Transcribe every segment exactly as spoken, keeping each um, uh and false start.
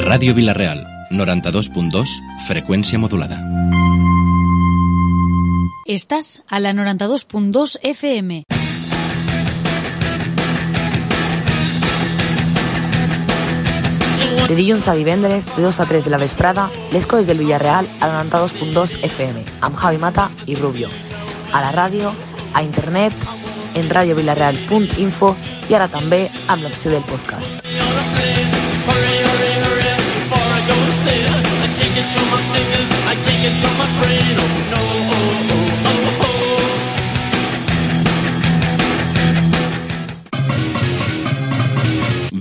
Ràdio Vila-real, noranta-dos punt dos, freqüència modulada. Estàs a la noranta-dos punt dos F M. De dilluns a divendres, de dos a tres de la vesprada, les coses del Villarreal a la noranta-dos punt dos F M, amb Javi Mata i Rubio. A la ràdio, a internet, en radiovilarreal punt info i ara també amb l'opció del podcast.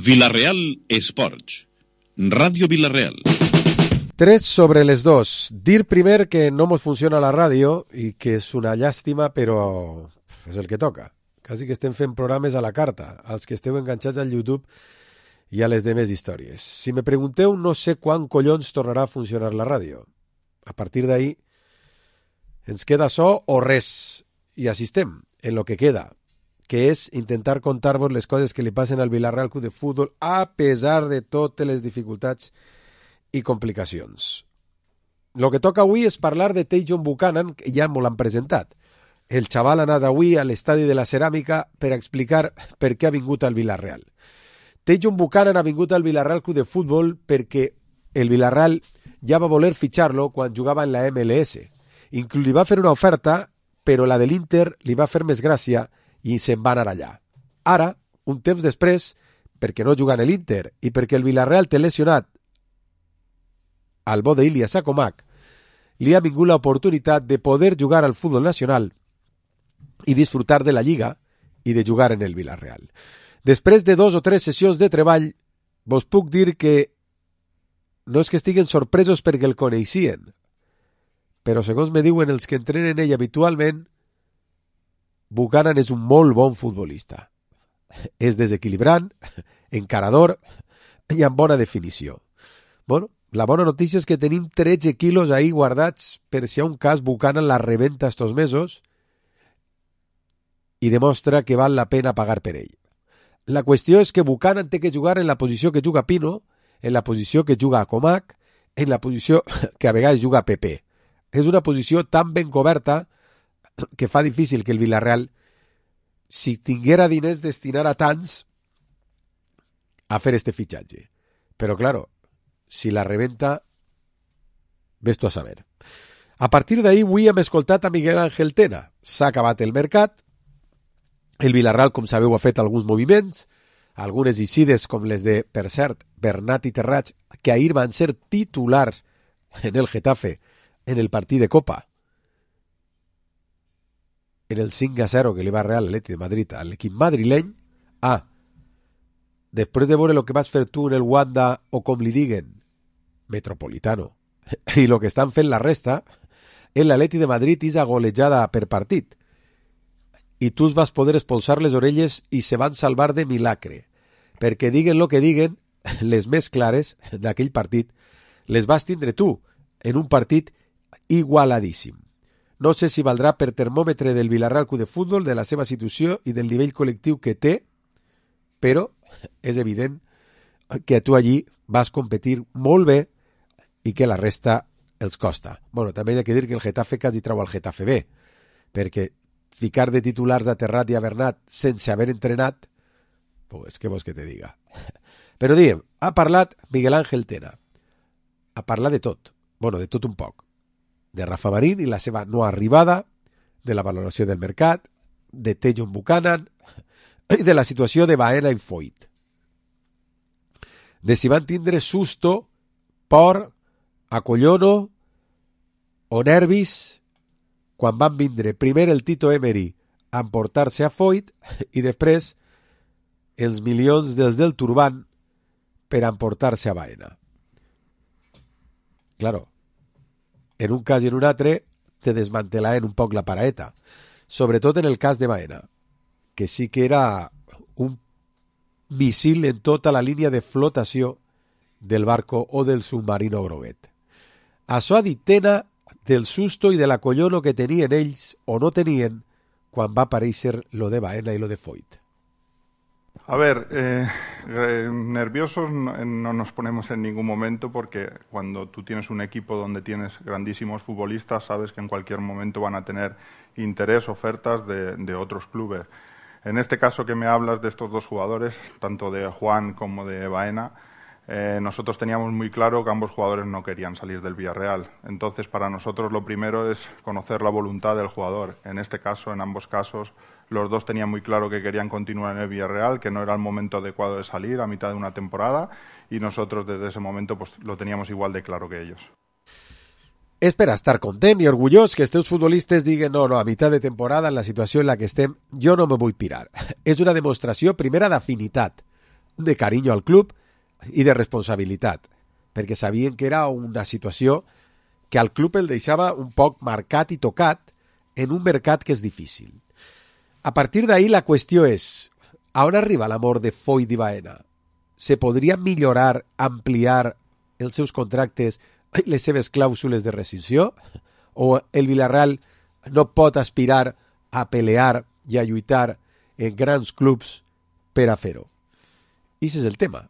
Vila-real Esports. Ràdio Vila-real. Tres sobre les dos. Dir primer que no mos funciona la ràdio i que és una llàstima, però és el que toca. Quasi que estem fent programes a la carta, als que esteu enganxats al YouTube i a les demés històries. Si me pregunteu, no sé quan collons tornarà a funcionar la ràdio. A partir d'ahí ens queda so o res, i assistem en lo que queda, que és intentar contar-vos les coses que li passen al Villarreal Club de Futbol a pesar de totes les dificultats i complicacions. Lo que toca avui és parlar de Tajon Buchanan, que ja m'ho l'han presentat. El xaval ha anat avui a l'estadi de la Ceràmica per explicar per què ha vingut al Villarreal. Tajon Buchanan ha vingut al Villarreal Club de Futbol perquè el Villarreal ja va voler fitxar-lo quan jugava en la M L S. Inclús li va fer una oferta, però la de l'Inter li va fer més gràcia i se'n va anar allà. Ara, un temps després, perquè no juga en l'Inter i perquè el Villarreal té lesionat al bo d'Ilias Akomak, li ha vingut l'oportunitat de poder jugar al futbol nacional i disfrutar de la Lliga i de jugar en el Villarreal. Després de dos o tres sessions de treball, vos puc dir que no és que estiguen sorpresos perquè el coneixien, però segons me diuen els que entrenen ell habitualment, Buchanan és un molt bon futbolista. És desequilibrant, encarador i amb bona definició. Bueno, la bona notícia és que tenim tretze quilos ahí guardats per si a un cas Buchanan la rebenta estos mesos i demostra que val la pena pagar per ell. La qüestió és que Buchanan té que jugar en la posició que juga Pino, en la posició que juga Akomak, en la posició que a vegades juga Pepe. És una posició tan ben coberta que fa difícil que el Villarreal, si tinguera diners, destinar a tants a fer este fitxatge. Però, claro, si la rebenta, ves tu a saber. A partir d'ahir, avui hem escoltat a Miguel Ángel Tena. S'ha acabat el mercat. El Villarreal, com sabeu, ha fet alguns moviments, algunes eixides com les de, per cert, Bernat i Terrats, que ahir van ser titulars en el Getafe, en el partit de Copa, en el cinc a zero que li va Real Atleti de Madrid a l'equip madrileny. Ah, després de veure el que vas fer tu en el Wanda, o com li diguen, Metropolitano, i el que estan fent la resta, en l'Atleti de Madrid és a golejada per partit. I tu vas poder expulsar les orelles i se van salvar de milagre, perquè diguen el que diguen, les més clares d'aquell partit, les vas tindre tu, en un partit igualadíssim. No sé si valdrà per termòmetre del Villarreal Club de Futbol, de la seva situació i del nivell col·lectiu que té, però és evident que tu allí vas competir molt bé i que la resta els costa. Bueno, també hi ha que dir que el Getafe quasi trau al Getafe B, perquè ficar de titulars a Terrat i a Bernat sense haver entrenat, pues què vols que te diga. Però diem, ha parlat Miguel Ángel Tena. Ha parlat de tot, bueno, de tot un poc. De Rafa Marín i la seva no arribada, de la valoració del mercat, de Tajon Buchanan i de la situació de Baena i Foyt. De si van tindre susto, por, acollono o nervis quan van vindre primer el Tito Emery a emportar-se a Foyt i després els milions dels del Turban per emportar-se a Baena. Claro, en un cas i en un altre te desmantelaven un poc la paraeta, sobretot en el cas de Baena, que sí que era un missil en tota la línia de flotació del barco o del submarino groguet. Això ha dit Tena del susto i de l'acollono que tenien ells o no tenien quan va aparèixer lo de Baena i lo de Foyt. A ver, eh, eh, nerviosos no, no nos ponemos en ningún momento porque cuando tú tienes un equipo donde tienes grandísimos futbolistas, sabes que en cualquier momento van a tener interés, ofertas de, de otros clubes. En este caso que me hablas de estos dos jugadores, tanto de Juan como de Baena, eh, nosotros teníamos muy claro que ambos jugadores no querían salir del Villarreal. Entonces, para nosotros lo primero es conocer la voluntad del jugador. En este caso, en ambos casos, los dos tenían muy claro que querían continuar en el Villarreal, que no era el momento adecuado de salir a mitad de una temporada, y nosotros desde ese momento pues lo teníamos igual de claro que ellos. És per estar content i orgullós que els teus futbolistes diguen no, no, a mitjà de temporada, en la situació en la que estem, jo no me vull pirar. És una demostració, primera, d'afinitat, de carinyo al club i de responsabilitat, perquè sabien que era una situació que al club el deixava un poc marcat i tocat en un mercat que és difícil. A partir d'ahí la qüestió és, a on arriba l'amor de Foyt i Baena? Se podria millorar, ampliar els seus contractes, les seves clàusules de rescissió? O el Villarreal no pot aspirar a pelear i a lluitar en grans clubs per a fer-ho? I aquest és el tema.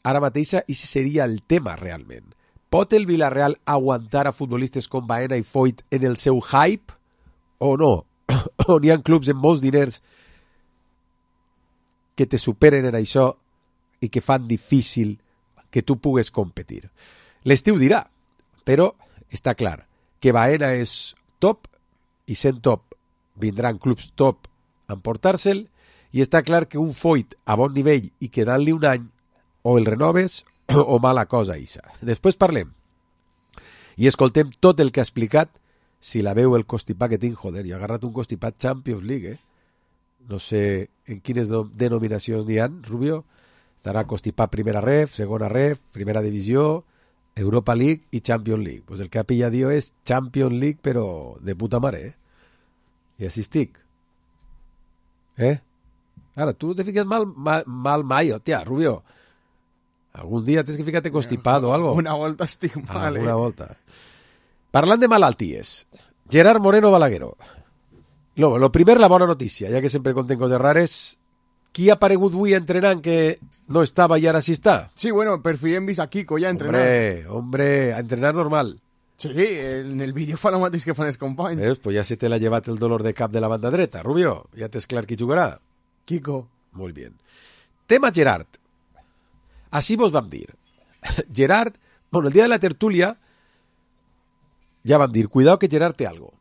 Ara mateix, i seria el tema realment. Pot el Villarreal aguantar a futbolistes com Baena i Foyt en el seu hype o no? O n'hi ha clubs amb molts diners que te superen en això i que fan difícil que tu pugues competir. L'estiu dirà, però està clar que Baena és top i sent top vindran clubs top a emportar-se'l i està clar que un Foyt a bon nivell i quedant-li un any o el renoves o mala cosa isa. Després parlem i escoltem tot el que ha explicat. Si la veu el constipat que tinc, joder, jo he agarrat un constipat Champions League, eh? No sé en quines denominacions n'hi ha, Rubio. Estarà constipat primera ref, segona ref, primera divisió, Europa League i Champions League. Pues el que ha pillat jo és Champions League, però de puta mare, eh? I així estic. Eh? Ara, tu no te fiques mal, mal, mal mai, hòstia, Rubio. Algun dia tens que ficar-te constipat o algo. Una volta estic mal, eh? Una volta. Parlant de malalties, Gerard Moreno Balagueró. No, lo primer, la bona notícia, ja que sempre conten coses rares. Qui ha aparegut avui entrenant que no estava i ara sí està? Sí, bueno, per fi hem vist a Kiko ja entrenant. Hombre, hombre, a entrenar normal. Sí, en el vídeo fa el mateix que fan els companys. Veus? Pues ja se te l'ha llevat el dolor de cap de la banda dreta, Rubio. Ja tens clar qui jugarà. Kiko. Molt bé. Tema Gerard. Així vos vam dir. Gerard, bueno, el dia de la tertúlia ja vam dir, cuidado que Gerard té algo.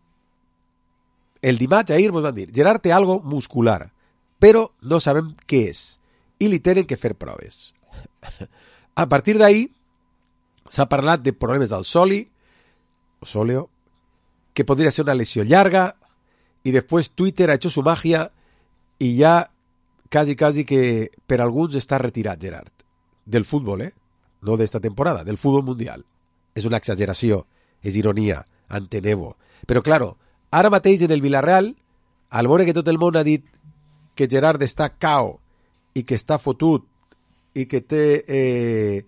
El dimarts ahir vos vam dir, Gerard té algo muscular, però no sabem què és i li tenen que fer proves. A partir d'ahí s'ha parlat de problemes del soli, o sòleo, que podria ser una lesió llarga, i després Twitter ha hecho su magia i ja quasi, quasi que per alguns està retirat Gerard. Del futbol, eh? No d'esta temporada, del futbol mundial. És una exageració, és ironia, enteneu-ho. Però, claro, ara mateix en el Villarreal, al veure que tot el món ha dit que Gerard està cao i que està fotut i que té eh,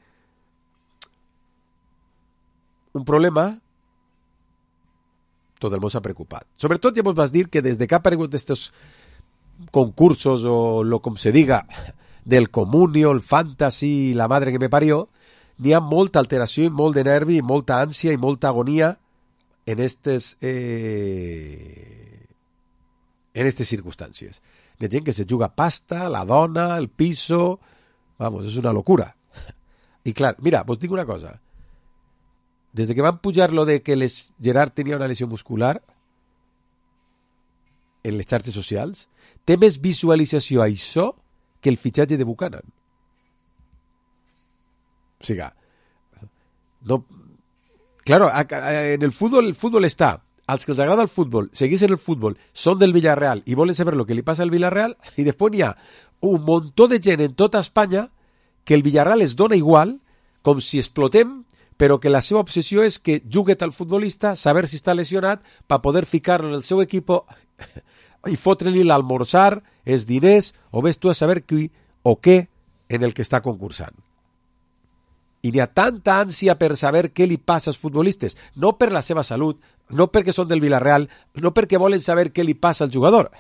un problema, tot el món s'ha preocupat. Sobretot ja vos vas dir que des de que ha aparegut estos concursos o lo com se diga del comunio, el fantasy, la madre que me parió, n'hi ha molta alteració i molt de nervi i molta ànsia i molta agonia en estes eh, en estes circumstàncies. Hi ha gent que se juga pasta, la dona, el piso, vamos, és una locura. I clar, mira, vos dic una cosa. Des que van pujar lo de que les, Gerard tenia una lesió muscular en les xarxes socials, té més visualització a això que el fitxatge de Buchanan. O sigui, no, claro, en el fútbol, el fútbol està, als que els agrada el futbol, segueixen el futbol, són del Villarreal i volen saber lo que li passa al Villarreal, i després hi ha un muntó de gent en tota Espanya que el Villarreal es dona igual, com si explotem, però que la seva obsessió és que jugui el futbolista, saber si està lesionat, per poder ficar-lo en el seu equip i fotre-li l'almorzar, els diners, o ves tu a saber qui o què en el que està concursant. I n'hi ha tanta ànsia per saber què li passa als futbolistes, no per la seva salut, no perquè són del Villarreal, no perquè volen saber què li passa al jugador,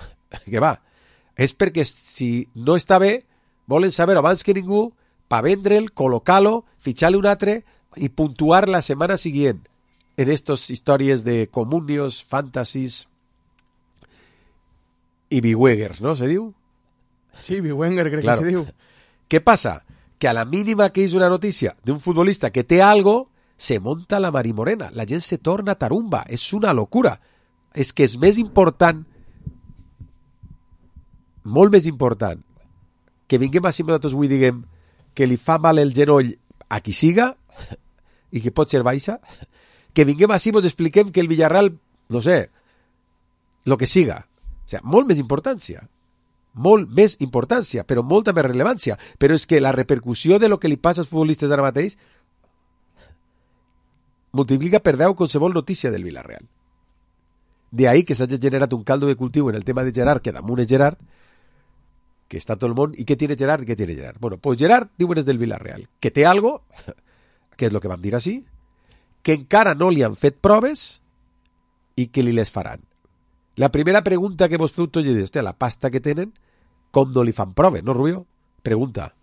que va, és perquè si no està bé, Volen saber abans que ningú per vendre'l, col·locar-lo, fitxar-li un altre i puntuar la setmana següent en estas històries de comunios, fantasies i biwegers, ¿no? ¿Se diu? Sí, Biwenger crec Claro. que se diu. ¿Qué pasa? Que a la mínima que hizo una noticia de un futbolista que té algo, se monta la marimorena. La gent se torna tarumba. És una locura. És que és més important, molt més important, que vinguem així nosaltres avui diguem que li fa mal el genoll a qui siga i que pot ser baixa, que vinguem així i ens expliquem que el Villarreal, no sé, lo que siga. O sea, molt més importància. Molt més importància, però molta més rellevància. Però és que la repercussió de lo que li passa als futbolistes ara mateix multiplica per deu qualsevol notícia del Villarreal. De ahí que s'hagi generat un caldo de cultiu en el tema de Gerard, que damunt és Gerard, que està tot el món. I què tiene Gerard? I què tiene Gerard? Bueno, pues Gerard diuen és del Villarreal, que té algo, que és lo que vam dir així, que encara no li han fet proves i que li les faran. La primera pregunta que vos feu tots és, hòstia, la pasta que tenen, com no li fan proves, no, Rubio? Pregunta.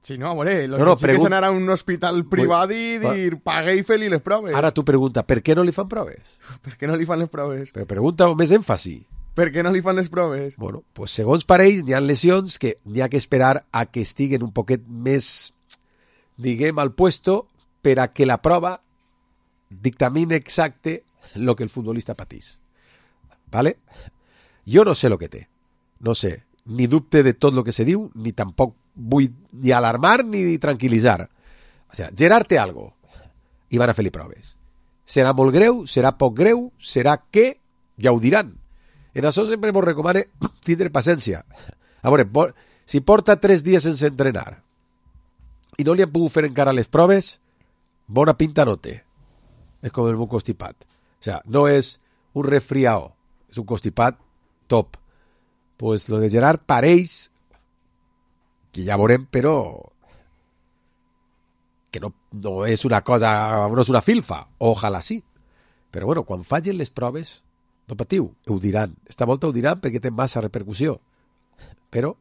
Sí, no, a veure, lo No, no, que sí que és pregun- anar a un hospital privat i dir, pague i fer-li les proves. Ara tu pregunta, per què no li fan proves? Per què no li fan les proves? Però pregunta amb més èmfasi. Per què no li fan les proves? Bueno, pues segons pareix, n'hi ha lesions que n'hi ha que esperar a que estiguen un poquet més, diguem, al puesto per a que la prova dictamine exacte lo que el futbolista patís. ¿Vale? Jo no sé lo que té. No sé. Ni dubte de tot lo que se diu, ni tampoc vull ni alarmar ni tranquil·litzar. O sea, Gerard té algo i van a fer-li proves. Serà molt greu, serà poc greu, serà què? Ja ho diran. En això sempre vos recomane tindre paciència. A veure, por, si porta tres dies sense entrenar i no li han pogut fer encara les proves, bona pinta no té. És com el meu constipat. O sea, no és un resfriao, és un constipat top. Pues lo de Gerard pareix que ja veurem, però que no, no és una cosa, no és una filfa. Ojalà sí. Però bueno, quan fallen les proves, no patiu, ho diran. Esta volta ho diran perquè té massa repercussió. Però,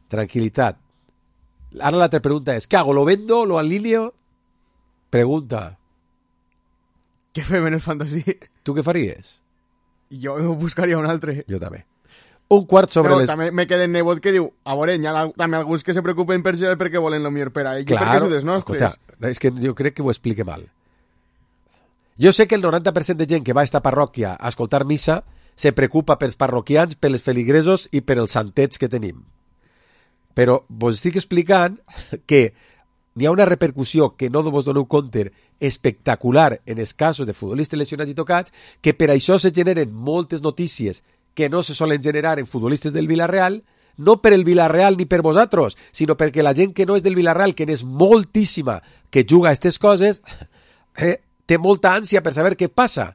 tranquil·litat. Ara l'altra pregunta és, què hago? ¿Lo vendo? ¿Lo alineo? Pregunta. Què fem en el fantasy? Tu què faries? Jo buscaria un altre. Jo també. Un quart sobre Però les... també me queda en nebot que diu, a veure, hi ha la, també alguns que se preocupen per Gerard perquè volen lo millor per a ell, Claro, perquè és dels nostres. escolta, és que jo crec que ho explique mal. Jo sé que el noranta per cent de gent que va a esta parròquia a escoltar missa se preocupa pels parroquians, pels feligresos i per els santets que tenim. Però vos estic explicant que n'hi ha una repercussió que no vos doneu compte espectacular en els casos de futbolistes lesionats i tocats, que per això se generen moltes notícies que no se solen generar en futbolistes del Villarreal, no per el Villarreal ni per vosaltres, sinó perquè la gent que no és del Villarreal, que n'és moltíssima, que juga a aquestes coses, eh, té molta ànsia per saber què passa.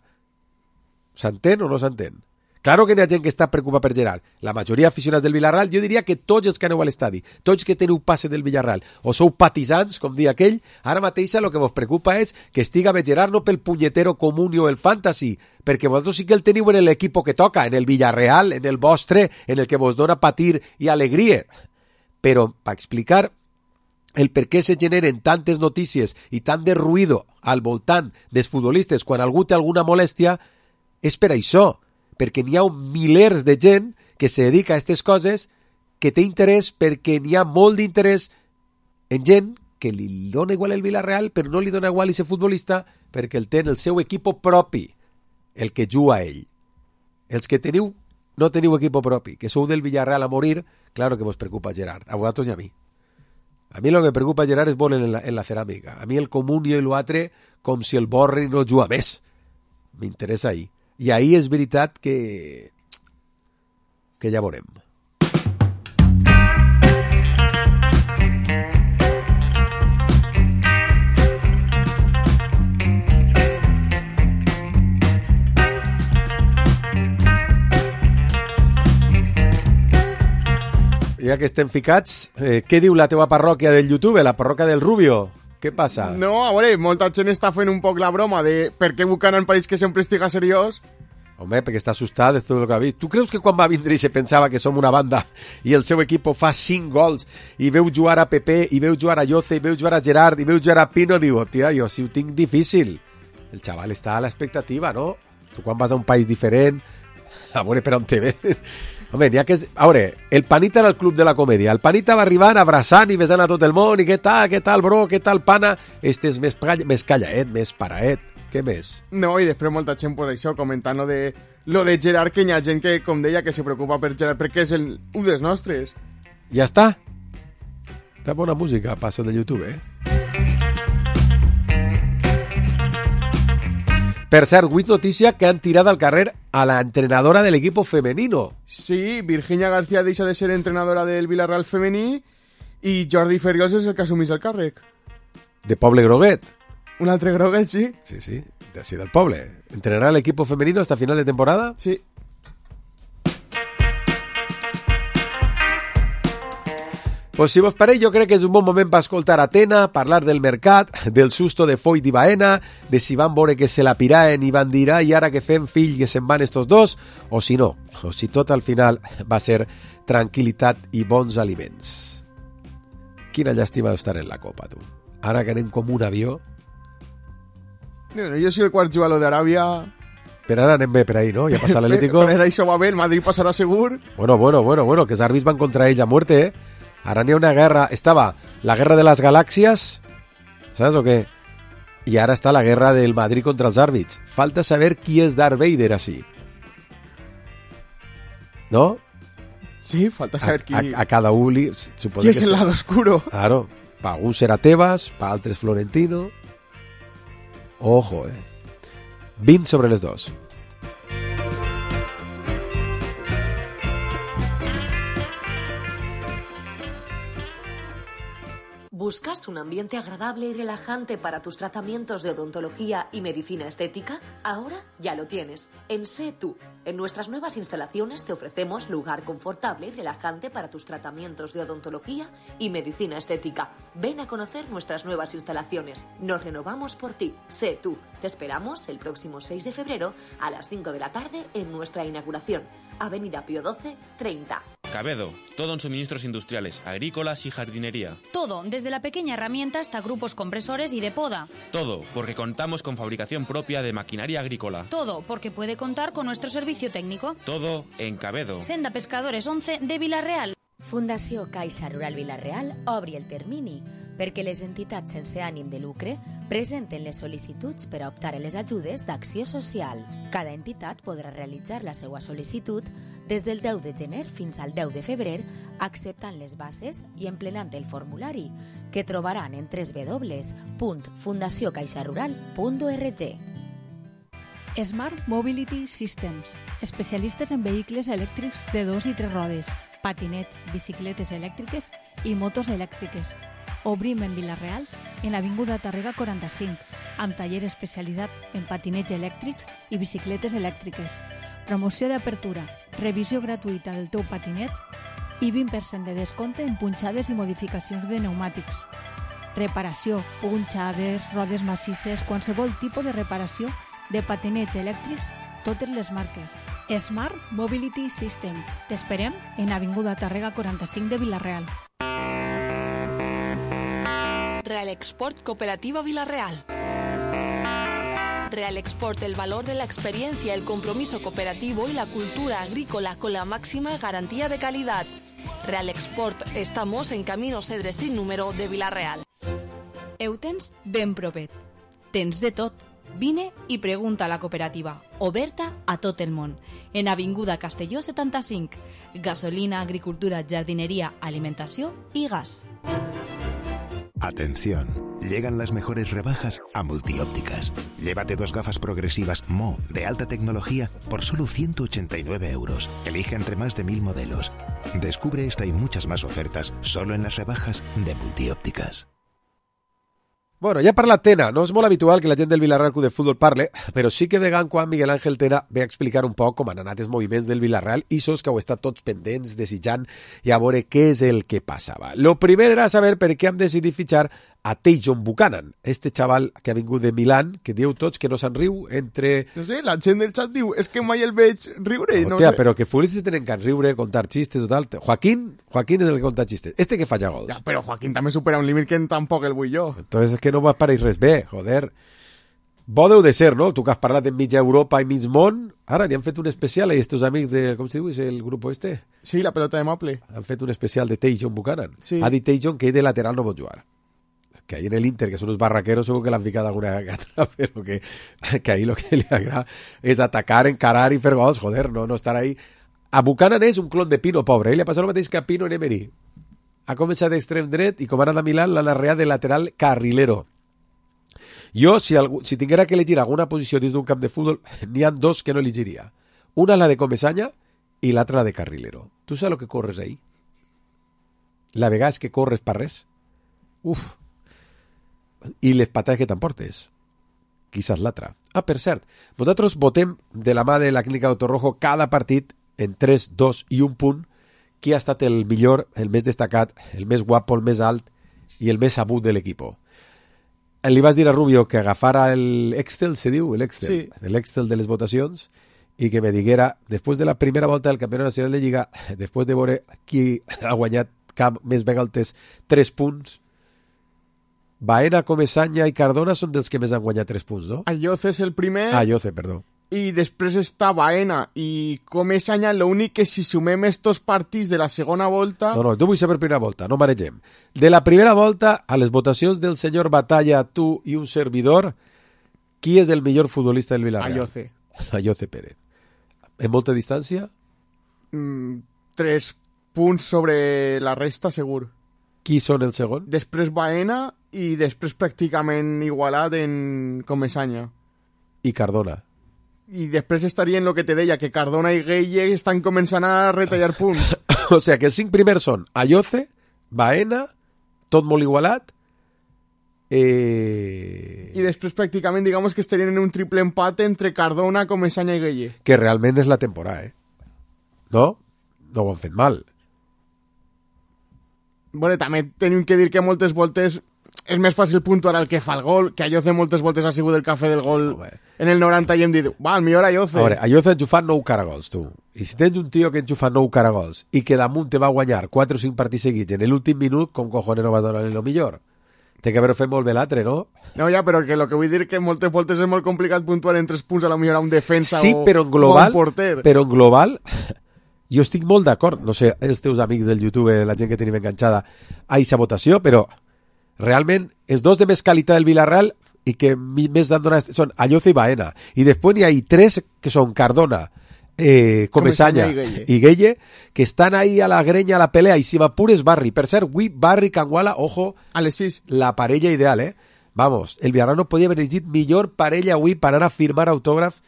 S'entén o no s'entén? Claro que n'hi ha gent que està preocupada per Gerard. La majoria d'aficionats del Villarreal, jo diria que tots els que aneu a l'estadi, tots que teniu passe del Villarreal, o sou patisans, com dia aquell, ara mateix el que vos preocupa és que estiga bé Gerard no pel punyetero comuni o el fantasy, perquè vosaltres sí que el teniu en l'equip que toca, en el Villarreal, en el vostre, en el que vos dona patir i alegria. Però, per explicar el per què se generen tantes notícies i tant de ruïdo al voltant dels futbolistes quan algú té alguna molèstia, és per això, perquè n'hi ha milers de gent que se dedica a aquestes coses, que té interès perquè n'hi ha molt d'interès en gent que li dona igual el Villarreal, però no li dona igual i ser futbolista perquè el té en el seu equip propi, el que juga a ell. Els que teniu, no teniu equip propi, que sou del Villarreal a morir, claro que vos preocupa Gerard, a vosaltres i a mi. A mi lo que me preocupa Gerard és vol en la, en la ceràmica. A mi el comunio i l'altre, com si el borri no juga més. M'interessa ahí. I ahí és veritat que que ja veurem. Ja que estem ficats, eh, què diu la teva parròquia del YouTube, la parròquia del Rubio? Què passa? No, a veure, molta gent està fent un poc la broma de per què Buchanan pareix que sempre estiga seriós Home, perquè està assustat de tot el que ha vist. Tu creus que quan va vindre i se pensava que som una banda i el seu equip fa cinc gols i veu jugar a Pepe, i veu jugar a Lloce, i veu jugar a Gerard, i veu jugar a Pino, diu, tia, jo sí ho tinc difícil. El xaval està a l'expectativa, no? Tu quan vas a un país diferent, a veure per on te ven. Home, n'hi ha que... A veure, el Panita era el club de la comèdia. El Panita va arribant abraçant i besant a tot el món, i què tal, què tal, bro, què tal, pana? Este és més, més callaet, més paraet. Què més? No, i després molta gent pues, això, comentant lo de, lo de Gerard, que hi ha gent que, com deia, que se preocupa per Gerard perquè és el un dels nostres. Ja està. Està bona música, passo de YouTube, eh? Per cert, avui notícia que han tirat al carrer a la entrenadora del equipo femenino. Sí, Virginia García deixa de ser entrenadora del Villarreal femení i Jordi Ferriols és el que assumís el càrrec. De Poble Groguet. Un altre Groguet, sí. Sí, sí, d'ací del poble. ¿Entrenará el equipo femenino hasta final de temporada? Sí. Pues si vos pareix, jo crec que és un bon moment per escoltar Atena, parlar del mercat, del susto de Foyt i Baena, de si van veure que se la piraen i van dir, i ara que fem fill que se'n van estos dos, o si no, o si tot al final va ser tranquil·litat i bons aliments. Quina llàstima d'estar en la Copa, tu. Ara que anem com un avió... No, no, jo si el quart jugador d'Aràbia... Però ara anem bé per ahí, no? Ja passa l'Atlético. Per això va bé, el Madrid passarà segur. Bueno, bueno, bueno, bueno, que els àrbits van contra ells a muerte, eh? Ara n'hi ha una guerra... Estava la guerra de les galàxies, saps o què? I ara està la guerra del Madrid contra els àrbits. Falta saber qui és Darth Vader, així. ¿No? Sí, falta saber a, qui... A, a cada un li... Qui és el lado oscuro? Claro, pa algun serà Tebas, pa altres Florentino... Ojo, eh. vint sobre les dos. ¿Buscas un ambiente agradable y relajante para tus tratamientos de odontología y medicina estética? Ahora ya lo tienes. En Sé Tú. En nuestras nuevas instalaciones te ofrecemos lugar confortable y relajante para tus tratamientos de odontología y medicina estética. Ven a conocer nuestras nuevas instalaciones. Nos renovamos por ti. Sé Tú. Te esperamos el próximo seis de febrero a las cinco de la tarde en nuestra inauguración. Avenida Pío doce, treinta. Cabedo, todo en suministros industriales, agrícolas y jardinería. Todo, desde la pequeña herramienta hasta grupos compresores y de poda. Todo, porque contamos con fabricación propia de maquinaria agrícola. Todo, porque puede contar con nuestro servicio técnico. Todo en Cabedo. Senda Pescadores once de Vila-real. Fundació Caixa Rural Vila-real obri el termini perquè les entitats sense ànim de lucre presenten les sol·licituds per a optar a les ajudes d'acció social. Cada entitat podrà realitzar la seva sol·licitud des del deu de gener fins al deu de febrer, acceptant les bases i emplenant el formulari, que trobaran en w w w punt fundació caixa rural punt org. Smart Mobility Systems, especialistes en vehicles elèctrics de dos i tres rodes, patinets, bicicletes elèctriques i motos elèctriques. Obrim en Vila-real, en Avinguda Tàrrega quaranta-cinc, amb taller especialitzat en patinets elèctrics i bicicletes elèctriques. Promoció d'apertura, revisió gratuïta del teu patinet i vint per cent de descompte en punxades i modificacions de pneumàtics. Reparació, punxades, rodes massisses, qualsevol tipus de reparació de patinets elèctrics, totes les marques. Smart Mobility System. T'esperem en Avinguda Tàrrega quaranta-cinc de Vila-real. Real Export Cooperativa Vila-real. Real Export, el valor de la experiencia, el compromiso cooperativo y la cultura agrícola con la máxima garantía de calidad. Real Export, estamos en Camino Cedre sin número de Vila-real. Ho tens ben propet. Tens de tot. Vine i pregunta a la cooperativa, oberta a tot el món. En Avinguda Castelló setanta-cinc. Gasolina, agricultura, jardinería, alimentació i gas. Atención, llegan las mejores rebajas a Multiópticas. Llévate dos gafas progresivas Mo de alta tecnología por solo ciento ochenta y nueve euros. Elige entre más de mil modelos. Descubre esta y muchas más ofertas solo en las rebajas de Multiópticas. Bueno, ja ha parlat Tena. No és molt habitual que la gent del Villarreal Club de Futbol parle, però sí que de tant quan Miguel Ángel Tena ve a explicar un poc com han anat els moviments del Villarreal i sos que heu estat tots pendents, desitjant i a veure què és el que passava. Lo primer era saber per què hem decidit fitxar a Tajon Buchanan, este xaval que ha vingut de Milán, que dieu tots que no se'n riu entre... No sé, la gent del xat diu, és que mai el veig riure, no, no sé. Però que futbolistes tenen que riure, contar xistes o tal. Joaquín, Joaquín és el que conta xistes. Este que falla gols. Ja, però Joaquín també supera un límit que tampoc el vull jo. Entonces és que no vas pareix res bé, joder. Bo deu de ser, no? Tu que has parlat en mitja Europa i mig món, ara li han fet un especial a estos amics de... Com se diu? És el grup este? Sí, la pelota de Maple. Han fet un especial de Tajon Buchanan. Sí. Ha dit Tajon que ell de lateral no pot jugar. Que ahí en el Inter, que son unos barraqueros, seguro que le han picado alguna gata, pero que, que ahí lo que le agrada es atacar, encarar y fer gols, joder, no, no estar ahí. A Buchanan és un clon de Pino, pobre, eh? Li ha passat el mateix que a Pino en Emery. Ha començat d'extrem dret i com ha anat a Milán l'han arreat de lateral carrilero. Jo, si, algú, si tinguera que elegir alguna posició dins d'un camp de futbol, n'hi ha dos que no elegiria. Una la de Comesaña i l'altra la de carrilero. Tu saps el que corres ahí? La vegada que corres per res? Uf. I les patades que t'emportes. Quizás l'altra. Ah, per cert, vosaltres votem de la mà de la Clínica Doctor Rojo cada partit en tres, dos i un punt qui ha estat el millor, el més destacat, el més guapo, el més alt i el més sabut de l'equip. Li vas dir a Rubio que agafara el Excel, se diu, el Excel, sí. l'Excel de les votacions, i que me diguera, després de la primera volta del Campionat Nacional de Lliga, després de veure qui ha guanyat cap més vegades tres punts, Baena, Comesaña i Cardona són dels que més han guanyat tres punts, no? Ayoce és el primer. Ah, Ayoce, perdó. I després està Baena i Comesaña, l'únic que si sumem estos partits de la segona volta... No, no, tu vull saber primera volta, no maregem. De la primera volta, a les votacions del senyor Batalla, tu i un servidor, qui és el millor futbolista del Villarreal? Ayoce. Ayoce Pérez. En molta distància? Mm, tres punts sobre la resta, segur. Qui són el segon? Després Baena i després pràcticament igualat en Comesaña. I Cardona. I després estaria en el que te deia, que Cardona i Gueye estan començant a retallar punts. O sea, que els cinc primers són Ayoce, Baena, tot molt igualat, eh... i després pràcticament, digamos que estarien en un triple empat entre Cardona, Comesaña i Gueye. Que realment és la temporada, eh? No? No ho han fet mal. Bueno, també tenim que dir que moltes voltes és més fàcil puntuar el que fa el gol, que Ayoce moltes voltes ha sigut el cafè del gol oh, en el noranta i hem dit, va, el millor Ayoce. A veure, Ayoce ha enxufat nou caragols, tu. I si tens un tio que enxufa nou caragols i que damunt te va guanyar quatre o cinc partits seguits en l'últim minut, com cojones no va donar el millor? Té que haver fet molt bé l'altre, no? No, ja, però que lo que vull dir que moltes voltes és molt complicat puntuar en tres punts a la millor a un defensa sí, o, però en global, o un porter. Però en global... Jo estic molt d'acord, no sé, els teus amics del YouTube, la gent que tenim enganxada a aquesta votació, però realment els dos de més qualitat del Villarreal i que més han donat són Ayoce i Baena. I després n'hi ha tres que són Cardona, eh, Comesaña i, i Gueye, que estan ahí a la grenya, a la pelea, i si m'apures Barri. Per cert, avui Barri, Canguala, ojo, a les sis. La parella ideal, eh? Vamos, el Villarreal no podia haver elegit millor parella avui per anar a firmar autògraf.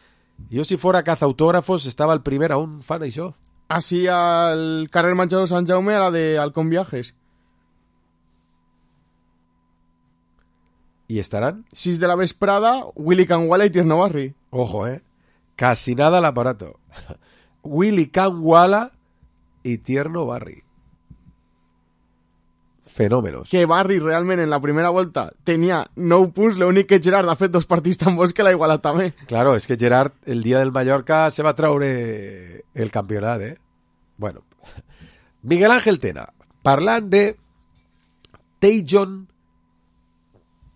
Jo si fora caza autògrafos estava el primer a un fan, això. Así al carrer Major de Sant Jaume, a la de Halcón Viajes. ¿Y estarán? sis de la vesprada, Willy Canguala y Tierno Barri. Ojo, eh. Casi nada al aparato. Willy Canguala y Tierno Barri. Fenòmenos. Que Barri realment en la primera volta tenia nou punts, l'únic que Gerard ha fet dos partits tan bons que l'ha igualat també. Claro, és que Gerard el dia del Mallorca se va traure el campionat, eh? Bueno, Miguel Ángel Tena, parlant de Tajon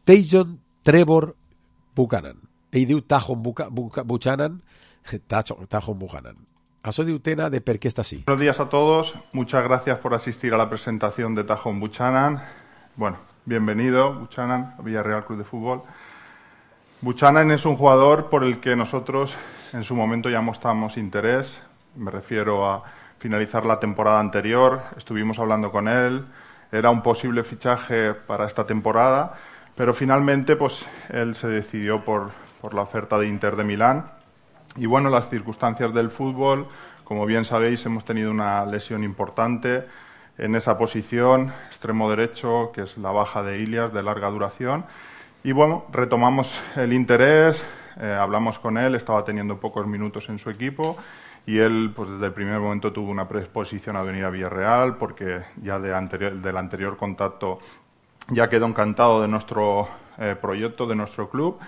Tajon Trevor Buchanan. Ell diu Tajon Buchanan, Tajon Buchanan. Eso de Utena de per qué está así. Buenos días a todos, muchas gracias por asistir a la presentación de Tajon Buchanan. Bueno, bienvenido Buchanan a Villarreal Club de Fútbol. Buchanan es un jugador por el que nosotros en su momento ya mostramos interés. Me refiero a finalizar la temporada anterior, estuvimos hablando con él, era un posible fichaje para esta temporada, pero finalmente pues él se decidió por, por la oferta de Inter de Milán. Y bueno, las circunstancias del fútbol, como bien sabéis, hemos tenido una lesión importante en esa posición, extremo derecho, que es la baja de Ilias, de larga duración. Y bueno, retomamos el interés, eh, hablamos con él, estaba teniendo pocos minutos en su equipo y él pues desde el primer momento tuvo una predisposición a venir a Villarreal porque ya de anterior, del anterior contacto ya quedó encantado de nuestro eh, proyecto, de nuestro club.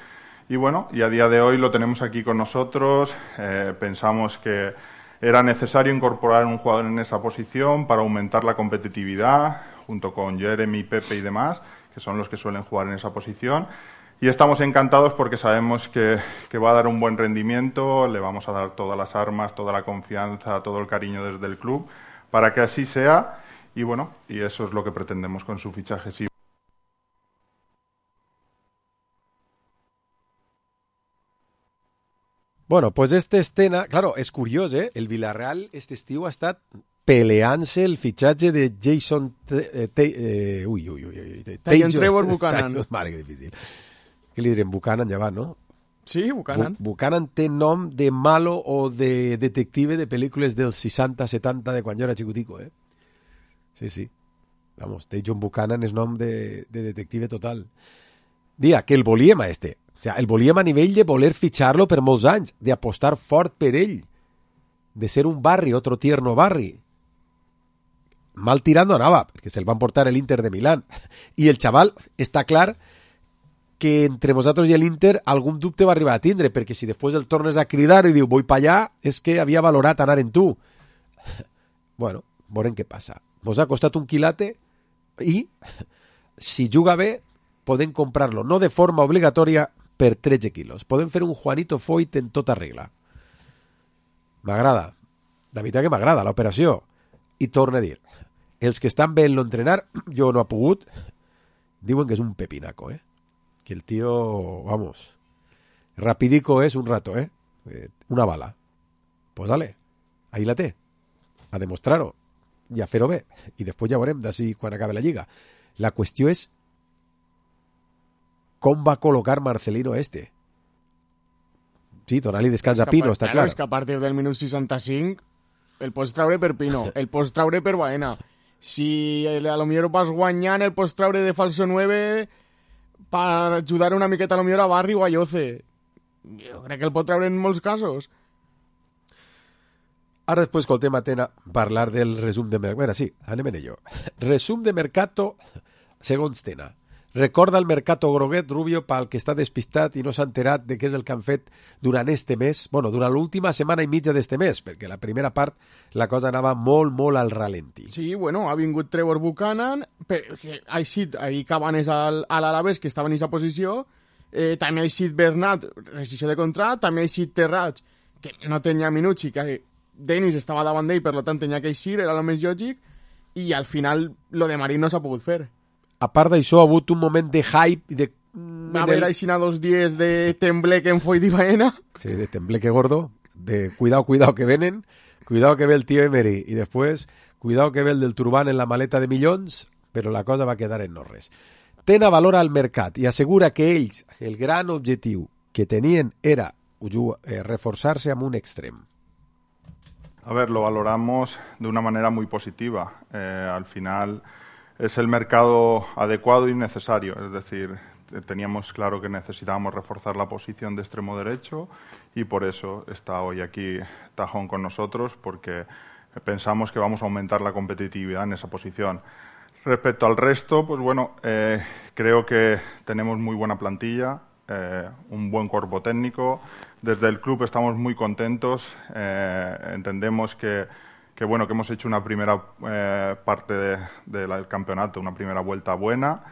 Y bueno, y a día de hoy lo tenemos aquí con nosotros. Eh, pensamos que era necesario incorporar un jugador en esa posición para aumentar la competitividad, junto con Jeremy, Pepe y demás, que son los que suelen jugar en esa posición. Y estamos encantados porque sabemos que, que va a dar un buen rendimiento, le vamos a dar todas las armas, toda la confianza, todo el cariño desde el club, para que así sea. Y bueno, y eso es lo que pretendemos con su fichaje. Sí. Bueno, pues esta escena, claro, és curiós, eh? El Villarreal este estiu ha estat peleant-se el fitxatge de Jason... T eh, ui, ui, ui. Tajon Trevor Buchanan. Mare, que difícil. Què li direm? Buchanan ja va, no? Sí, Buchanan. Bu Buchanan té nom de malo o de detective de pel·lícules dels seixanta setanta de quan jo era xicutico, eh? Sí, sí. Vamos, Tajon Buchanan és nom de, de detective total. Dia, que el volíem a este. O sea, el volíem a nivell de voler fitxar-lo per molts anys, d'apostar fort per ell, de ser un barri, otro tierno barri. Mal tirando anava, perquè se'l van portar l'Inter de Milán. I el xaval està clar que entre vosaltres i l'Inter algun dubte va arribar a tindre, perquè si després el tornes a cridar i diu vull pa allà, és que havia valorat anar en tu. Bueno, veurem què passa. Mos ha costat un quilate i, si juga bé, podem comprar-lo, no de forma obligatòria, per tretze quilos. Podem fer un Juanito Foyt en tota regla. M'agrada. La veritat que m'agrada l'operació. I torno a dir, els que estan bé en l'entrenar, jo no ha pogut, diuen que és un pepinaco, eh? Que el tío, vamos, rapidico és un rato, eh? Una bala. Pues dale, ahí la té. A demostrar-ho i a fer-ho bé. I després ja veurem d'ací quan acabe la lliga. La qüestió és com va col·locar Marcelino este. Sí, donar-li descans a Pino, està clar. És que a partir del minut seixanta-cinc el pots traure per Pino, el pots traure per Baena. Si a lo millor vas guanyant, el pots traure de falso nueve per ajudar una miqueta a lo millor a Barri o a Yoce. Jo crec que el pot traure en molts casos. Ara després escoltem a Tena parlar del resum de mercat. Bueno, sí, anem en ello. Resum de mercato segons Tena. Recorda el mercato groguet, Rubio, pel que està despistat i no s'ha enterat de què és el que han fet durant este mes, bueno, durant l'última setmana i mitja d'este mes, perquè la primera part la cosa anava molt, molt al ralenti. Sí, bueno, ha vingut Trevor Buchanan, que ha eixit ahir Cabanes al, a l'Alaves, que estava en aquesta posició, eh, també ha eixit Bernat, rescissió de contrat, també ha eixit Terrats, que no tenia minuts i que Denis estava davant d'ell, per tant tenia que eixir, era el més lògic, i al final lo de Marín no s'ha pogut fer. A part d'això, ha hagut un moment de hype... De... Va haver el... aixina dos dies de tembleque en Foyt i Baena. Sí, de tembleque gordo, de cuidado, cuidado que venen, cuidado que ve el tío Emery, i després, cuidado que ve el del turbán en la maleta de milions, però la cosa va quedar en no res. Tena valora el mercat i assegura que ells, el gran objectiu que tenien era eh, reforçar-se amb un extrem. A ver, lo valoramos de una manera muy positiva. Eh, al final... Es el mercado adecuado y necesario, es decir, teníamos claro que necesitábamos reforzar la posición de extremo derecho y por eso está hoy aquí Tajón con nosotros, porque pensamos que vamos a aumentar la competitividad en esa posición. Respecto al resto, pues bueno, eh, creo que tenemos muy buena plantilla, eh, un buen cuerpo técnico. Desde el club estamos muy contentos, eh, entendemos que que bueno, que hemos hecho una primera eh, parte de, de la, del campeonato, una primera vuelta buena.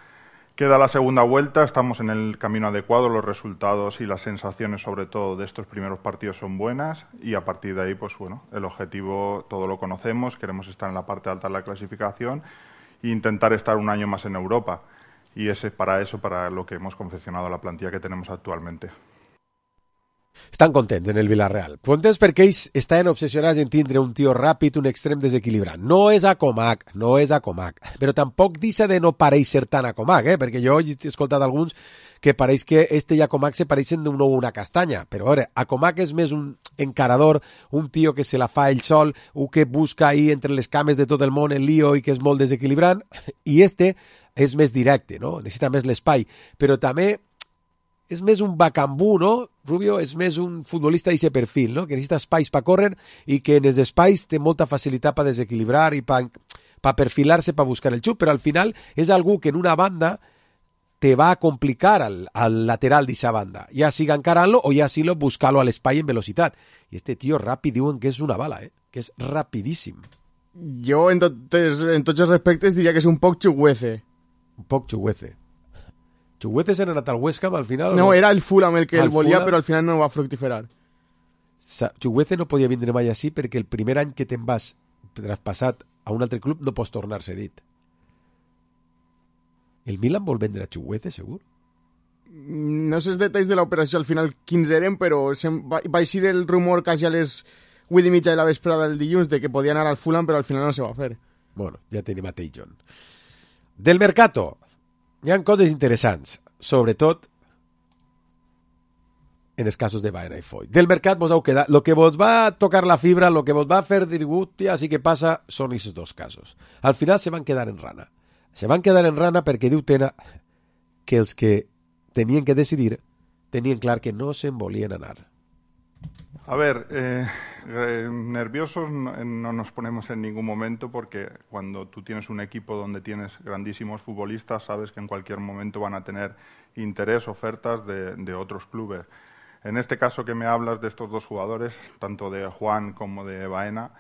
Queda la segunda vuelta, estamos en el camino adecuado, los resultados y las sensaciones sobre todo de estos primeros partidos son buenas y a partir de ahí, pues bueno, el objetivo todo lo conocemos, queremos estar en la parte alta de la clasificación e intentar estar un año más en Europa. Y es para eso, para lo que hemos confeccionado la plantilla que tenemos actualmente. Estan contents en el Villarreal. Contents perquè ells estaven obsessionats en tindre un tio ràpid, un extrem desequilibrant. No és a Comac, no és a Comac. Però tampoc deixa de no pareixer tan a Comac, eh? Perquè jo he escoltat alguns que pareix que este i a Comac se pareixen d'un ou una castanya. Però a veure, a Comac és més un encarador, un tio que se la fa ell sol, un que busca ahí entre les cames de tot el món el lío i que és molt desequilibrant. I este és més directe, no? Necessita més l'espai. Però també és més un bacambú, no? Rubio és més un futbolista d'aquest perfil, no? Que necessita espais per córrer i que en els espais té molta facilitat per desequilibrar i per para perfilarse, para buscar el chut, pero al final es algo que en una banda te va a complicar al, al lateral d'esa banda. Ja siga encarant-lo o ja siga buscar-lo a l'espai en velocitat. I este tio ràpid diuen que és una bala, eh? Que és rapidíssim. Jo, en, totes, en tots els respectes, diria que és un poc xuguece. Un poc xuguece. Xuguece s'ha anat al West Ham al final? No, no, era el Fulham el que el volia, Fulham... però al final no va fructiferar. Xuguece no podia vindre mai així perquè el primer any que te'n vas traspassat a un altre club no pots tornar cedit. El Milan vol vendre a Chuguece, segur? No sé els detalls de l'operació al final quins eren, però va, va eixir el rumor quasi a les vuit i mitja de la vesprada del dilluns de que podia anar al Fulham, però al final no se va fer. Bueno, ja tenim a Tejon. Del mercato, hi ha coses interessants, sobretot en els casos de Baena i Foyt. Del mercat vos heu quedat... Lo que vos va tocar la fibra, lo que vos va fer dir, ja sí que passa, són aquests dos casos. Al final se van quedar en rana. Se van quedar en rana perquè diu Tena que els que tenien que decidir tenien clar que no se'n volien anar. A ver, eh, eh, nerviosos no, no nos ponemos en ningún momento porque cuando tú tienes un equipo donde tienes grandísimos futbolistas, sabes que en cualquier momento van a tener interés, ofertas de, de otros clubes. En este caso que me hablas de estos dos jugadores, tanto de Juan como de Baena,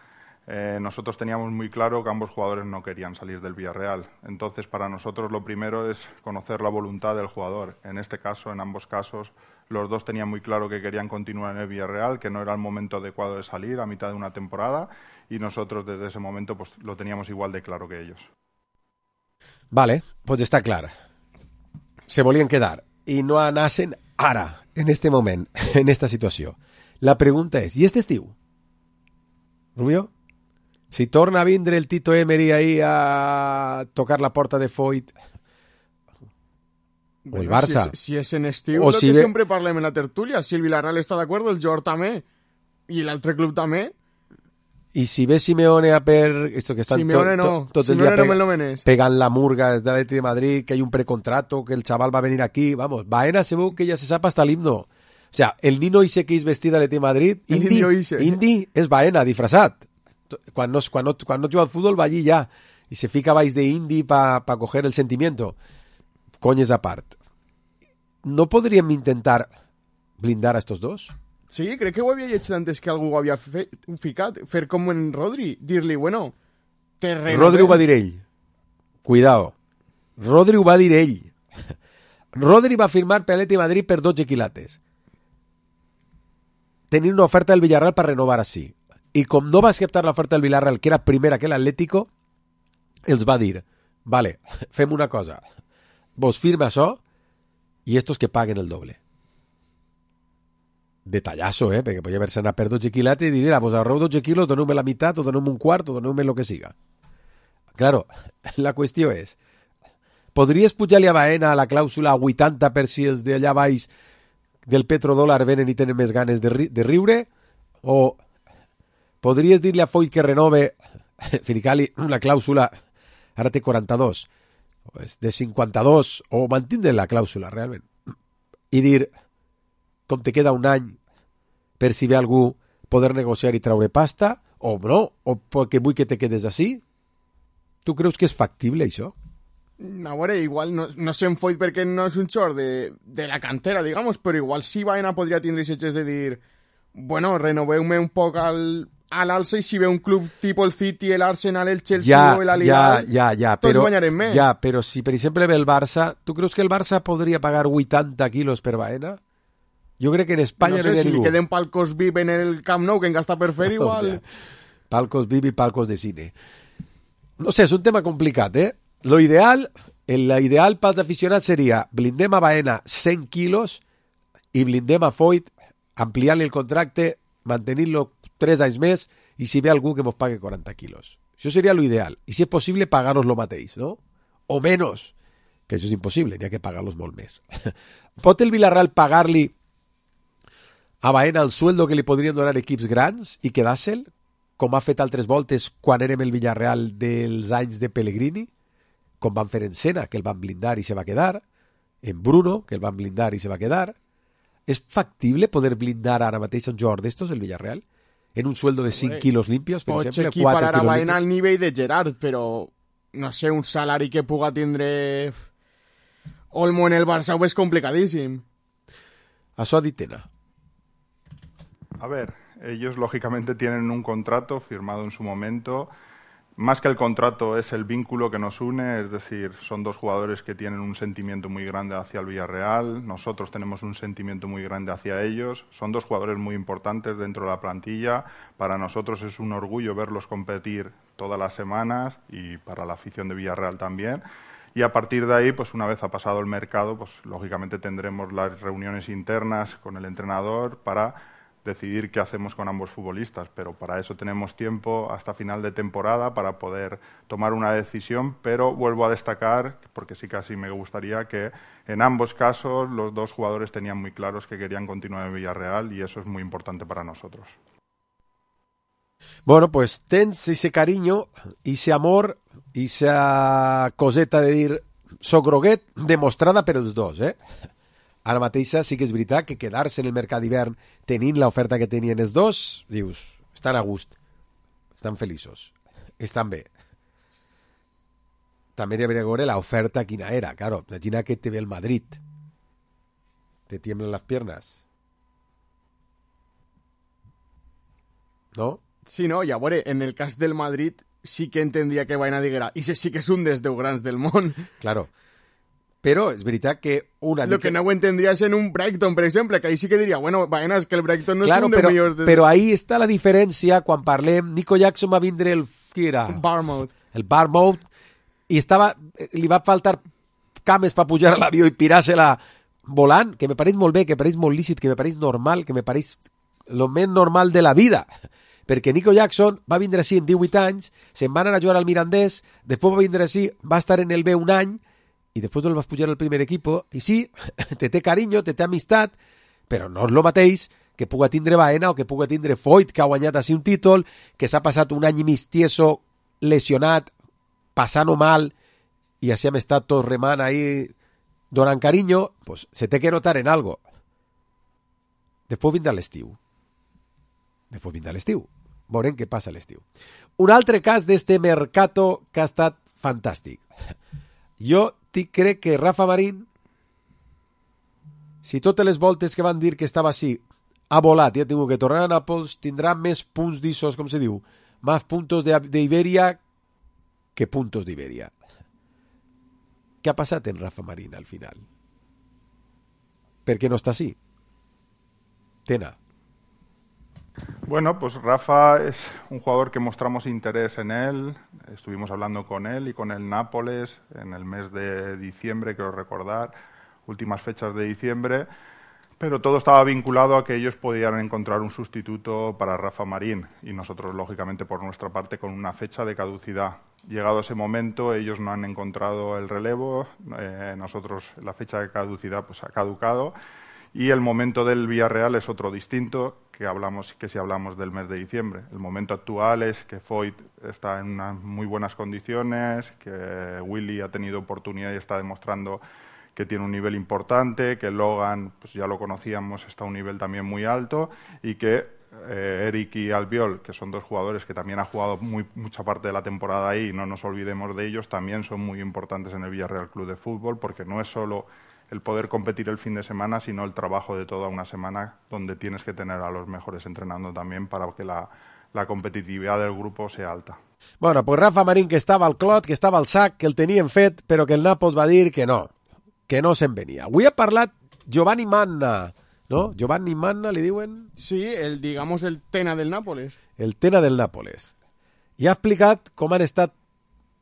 Eh, nosotros teníamos muy claro que ambos jugadores no querían salir del Villarreal. Entonces, para nosotros lo primero es conocer la voluntad del jugador. En este caso, en ambos casos, los dos tenían muy claro que querían continuar en el Villarreal, que no era el momento adecuado de salir a mitad de una temporada, y nosotros desde ese momento pues, lo teníamos igual de claro que ellos. Vale, pues està clar. Se volien quedar i no anassen ara, en este moment, en esta situació. La pregunta és, i este estiu? Rubio? Si torna a vindre el Tito Emery ahí a tocar la porta de Foyt o el Barça, si, es, si és en estiu, o el si que ve... sempre parlem en la tertúlia, si el Villarreal està d'acord, el Jord també, i l'altre club també. I si ve Simeone a per... Esto que estan Simeone to, no, to, tot Simeone el no dia me lo menes. pegant la murga des de l'Atleti de Madrid, que hay un precontrato, que el chaval va a venir aquí, vamos, Baena segur que ya se sap hasta el himno. O sea, el nino ese que és vestit de l'Atleti de Madrid, Indi, Indi és Baena, disfrazat. Quan no, quan, no, quan no juga al fútbol va allí ya y se fica baix de Indy para pa coger el sentimiento. Coñes apart. ¿No podríem intentar blindar a estos dos? Sí, crec que ho havia llegit antes que algú ho havia fe, ficat. Fer com en Rodri, dir-li, bueno, te renovem. Rodri ho va dir ell. Cuidao. Rodri ho va dir ell. Rodri va firmar per l'Atleti de Madrid per dotze quilates. Tenir una oferta del Villarreal per renovar així. I com no va acceptar l'oferta del Villarreal, que era primera que l'Atlético, els va dir, vale, fem una cosa, vos firma això i estos que paguen el doble. Detallazo, eh? Perquè podria haver-se anat per dotze quilates i dir, vos ahorreu dotze quilos, doneu-me la meitat, o doneu-me un quart, o doneu-me lo que siga. Claro, la qüestió és, podries pujar-li a Baena a la clàusula a vuitanta per si els d'allà baix del petrodòlar venen i tenen més ganes de, ri de riure, o podries dir-li a Foyt que renove, ficar-li una clàusula, ara té quaranta-dos, de cinquanta-dos, o mantindre la clàusula realment, i dir, com te queda un any per si ve algú poder negociar i traure pasta, o no, o perquè vull que te quedes així. Tu creus que és factible això? A veure, igual no, no sé en Foyt perquè no és un xor de, de la cantera, digamos, però igual sí Baena podria tindre xetxes de dir, bueno, renoveu-me un poc al, a l'alça i si ve un club tipus el City, el Arsenal, el Chelsea ja, o l'Al-Hilal, ja, ja, ja, tots però, guanyarem més. Ja, però si per exemple ve el Barça, tu creus que el Barça podria pagar vuitanta quilos per Baena? Jo crec que en Espanya no sé, no hi ha si ningú. li queden palcos V I P en el Camp Nou que en gasta per fer igual. Palcos V I P i palcos de cine. No sé, és un tema complicat, eh? Lo ideal, l'ideal pels aficionats seria blindem a Baena cent quilos i blindem a Foyt ampliant-li el contracte, mantenint-lo tres anys més i si ve algú que mos pague quaranta quilos. Això seria lo ideal. I si és possible, pagar-los lo mateix, no? O menys, que això és impossible, n'hi ha que pagar-los molt més. Pot el Villarreal pagar-li a Baena el sueldo que li podrien donar equips grans i quedar-se'l, com ha fet altres voltes quan érem el Villarreal dels anys de Pellegrini, com van fer en Sena, que el van blindar i se va quedar, en Bruno, que el van blindar i se va quedar. És factible poder blindar ara mateix un jugador d'estos, el Villarreal, en un sueldo de cinc quilos limpios, per Pots exemple, equiparar quatre a quilos Baena limpios? al nivell de Gerard, però no sé, un salari que puga tindre Olmo en el Barça és complicadíssim. Això ha dit Tena. A ver, ellos lógicamente tienen un contrato firmado en su momento. Más que el contrato es el vínculo que nos une, es decir, son dos jugadores que tienen un sentimiento muy grande hacia el Villarreal, nosotros tenemos un sentimiento muy grande hacia ellos, son dos jugadores muy importantes dentro de la plantilla, para nosotros es un orgullo verlos competir todas las semanas y para la afición de Villarreal también. Y a partir de ahí, pues una vez ha pasado el mercado, pues lógicamente tendremos las reuniones internas con el entrenador para decidir qué hacemos con ambos futbolistas, pero para eso tenemos tiempo hasta final de temporada para poder tomar una decisión, pero vuelvo a destacar, porque sí casi me gustaría que en ambos casos los dos jugadores tenían muy claros que querían continuar en Villarreal y eso es muy importante para nosotros. Bueno, pues tens ese cariño, ese amor, esa coseta de dir soc groguet, demostrada per els dos, eh? Ara mateixa sí que és veritat que quedar-se en el mercat d'hivern tenint l'oferta que tenien els dos, dius, estan a gust, estan feliços, estan bé. També hi hauria que veure l'oferta quina era, claro, imagina que te ve el Madrid, te tiemblan las piernas. ¿No? Sí, no, i a veure, en el cas del Madrid sí que entendria que vaina diguera, i sí que és un dels deu grans del món. Claro. Però és veritat que una... Lo que no ho entendries en un Brighton, per exemple, que ahí sí que diria, bueno, vaina, és que el Brighton no claro, és un dels però, millors... De... Però ahí està la diferència quan parlem... Nico Jackson va vindre el... Qui era? Bournemouth. El Bournemouth, i estava... Li va faltar cames per pujar a l'avió i pirar-se-la volant, que me pareix molt bé, que me pareix molt lícit, que me pareix normal, que me pareix lo més normal de la vida. Perquè Nico Jackson va vindre així en divuit anys, se'n va anar a jugar al Mirandés, després va vindre així, va estar en el B un any, i després el vas pujar al primer equipo, i sí, te té carinyo, te té amistat, però no és el mateix que puga tindre Baena o que puga tindre Foyt, que ha guanyat així un títol, que s'ha passat un any i mig tieso, lesionat, passant-ho mal, i així hem estat tots remant ahí, donant carinyo, pues se té que notar en algo. Després vindrà l'estiu. Després vindrà l'estiu. Veurem què passa a l'estiu. Un altre cas d'este mercato que ha estat fantàstic. Jo crec que Rafa Marín, si totes les voltes que van dir que estava així ha volat i ha tingut que tornar a Nàpols, tindrà més punts d'Isos, com se diu, més puntos d'Iberia que puntos d'Iberia. Què ha passat en Rafa Marín al final? Per què no està així? Tena. Bueno, pues Rafa es un jugador que mostramos interés en él, estuvimos hablando con él y con el Nápoles en el mes de diciembre, quiero recordar, últimas fechas de diciembre, pero todo estaba vinculado a que ellos podían encontrar un sustituto para Rafa Marín y nosotros, lógicamente, por nuestra parte, con una fecha de caducidad. Llegado ese momento, ellos no han encontrado el relevo, eh, nosotros la fecha de caducidad pues ha caducado. Y el momento del Villarreal es otro distinto que hablamos que si hablamos del mes de diciembre. El momento actual es que Foyt está en unas muy buenas condiciones, que Willy ha tenido oportunidad y está demostrando que tiene un nivel importante, que Logan, pues ya lo conocíamos, está a un nivel también muy alto y que eh, Eric y Albiol, que son dos jugadores que también han jugado muy, mucha parte de la temporada ahí, y no nos olvidemos de ellos, también son muy importantes en el Villarreal Club de Fútbol, porque no es solo el poder competir el fin de semana, sino el trabajo de toda una semana donde tienes que tener a los mejores entrenando también para que la, la competitividad del grupo sea alta. Bueno, pues Rafa Marín, que estava al clot, que estava al sac, que el tenien fet, però que el Nàpols va dir que no, que no se'n venia. Avui ha parlat Giovanni Manna, no? Giovanni Manna, li diuen? Sí, el, digamos, el Tena del Nàpoles. El Tena del Nàpoles. I ha explicat com han estat,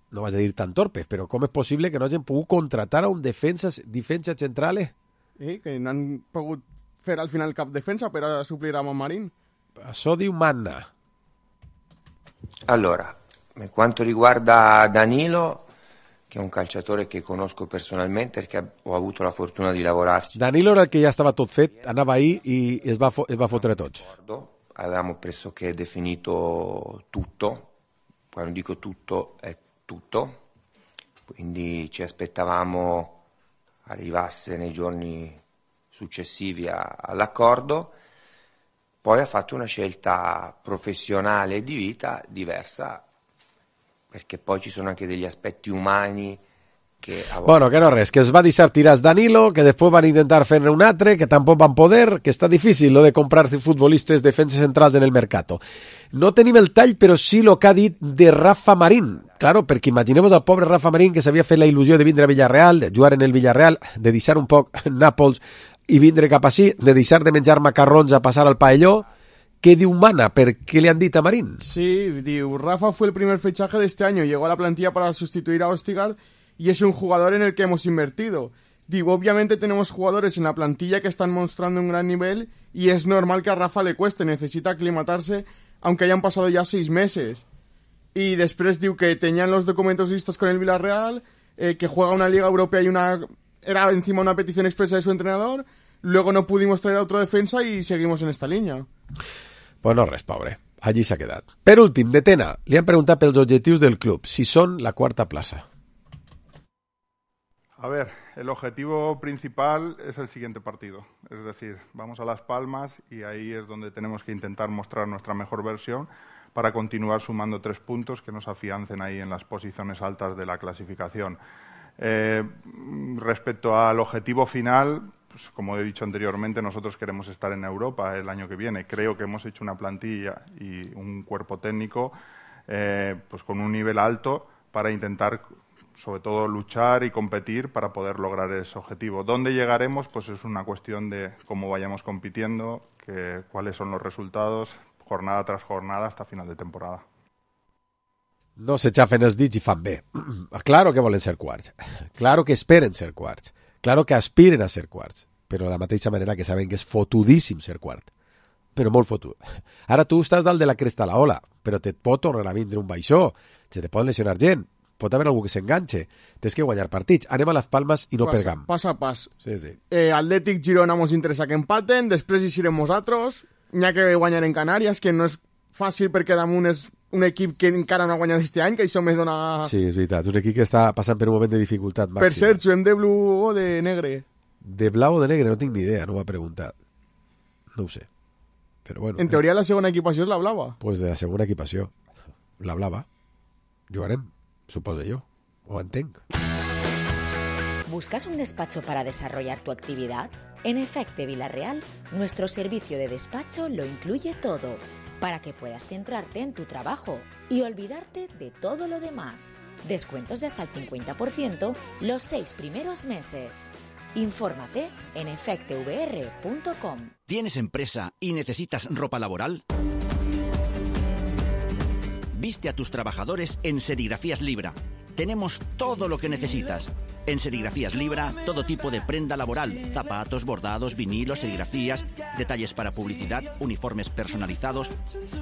no vaig a dir tan torpes, però com és possible que no hagin pogut contratar a un defensa, defensa central? Eh, que no han pogut fer al final cap defensa per a suplir a Marín. Això diu Manna. Allora, per quanto riguarda Danilo, che è un calciatore che conosco personalmente perché ho avuto la fortuna di lavorarci. Danilo era il che ja estava tot fet, anava ahí i es va, es va fotre tots. Avevamo pressoché definito tutto, quando dico tutto è tutto, quindi ci aspettavamo arrivasse nei giorni successivi a, all'accordo. Poi ha fatto una scelta professionale e di vita diversa perché poi ci sono anche degli aspetti umani que a Bueno, que no res, que es va deixar tirats Danilo, que després van intentar fer-ne un altre, que tampoc van poder, que està difícil lo de comprar futbolistes defenses centrals en el mercato. No tenim el tall, però sí lo que ha dit de Rafa Marín. Claro, perquè imaginemos al pobre Rafa Marín que s'havia fet la il·lusió de vindre a Villarreal, de jugar en el Villarreal, de deixar un poc Nàpols i vindre cap així, de deixar de menjar macarrons a passar al paelló. ¿Qué diu Mana? ¿Per qué le han dicho a Marín? Sí, diu, Rafa fue el primer fichaje de este año, llegó a la plantilla para sustituir a Ostigard y es un jugador en el que hemos invertido. Digo, obviamente tenemos jugadores en la plantilla que están mostrando un gran nivel y es normal que a Rafa le cueste, necesita aclimatarse, aunque hayan pasado ya seis meses. Y después digo que tenían los documentos listos con el Villarreal, eh, que juega una Liga Europea y una era encima una petición expresa de su entrenador, luego no pudimos traer a otro defensa y seguimos en esta línea. Pues no res, pobre. Allí s'ha quedat. Per últim, de Tena, li han preguntat pels objectius del club, si són la quarta plaça. A ver, el objetivo principal es el siguiente partido. Es decir, vamos a Las Palmas y ahí es donde tenemos que intentar mostrar nuestra mejor versión para continuar sumando tres puntos que nos afiancen ahí en las posiciones altas de la clasificación. Eh, respecto al objetivo final, pues, como he dicho anteriormente, nosotros queremos estar en Europa el año que viene. Creo que hemos hecho una plantilla y un cuerpo técnico eh, pues con un nivel alto para intentar, sobre todo, luchar y competir para poder lograr ese objetivo. ¿Dónde llegaremos? Pues es una cuestión de cómo vayamos compitiendo, que, cuáles son los resultados, jornada tras jornada hasta final de temporada. No se xafen els dits i fan bé. Claro que volen ser quarts. Claro que esperen ser quarts. Claro que aspiren a ser quarts. Però de la mateixa manera que saben que és fotudíssim ser quart. Però molt fotut. Ara tu estàs dalt de la cresta a la ola, però te pot tornar a vindre un baixó. Se te pot lesionar gent. Pot haver algú que s'enganxe. Tens que guanyar partits. Anem a Las Palmas i no Pasa, pergam. Pas a pas. Sí, sí. Eh, Atlètic Girona mos interessa que empaten, després hi serem nosaltres, n'hi ha que guanyar en Canàries, que no és fàcil perquè damunt és un equip que encara no ha guanyat este any, que això me dona... Sí, és veritat. És un equip que està passant per un moment de dificultat màxima. Per cert, juguem de blau o de negre? De blau o de negre? No tinc ni idea, no m'ha preguntat. No ho sé. Però bueno... En teoria la segona equipació és la blava. Pues de la segona equipació. La blava. Jugarem, suposo yo. O entenc. ¿Buscas un despacho para desarrollar tu actividad? En Efecte Villarreal, nuestro servicio de despacho lo incluye todo, para que puedas centrarte en tu trabajo y olvidarte de todo lo demás. Descuentos de hasta el cincuenta por ciento los seis primeros meses. Infórmate en efecte v r punto com. ¿Tienes empresa y necesitas ropa laboral? Viste a tus trabajadores en Serigrafías Libra. Tenemos todo lo que necesitas. En Serigrafías Libra, todo tipo de prenda laboral, zapatos, bordados, vinilos, serigrafías, detalles para publicidad, uniformes personalizados.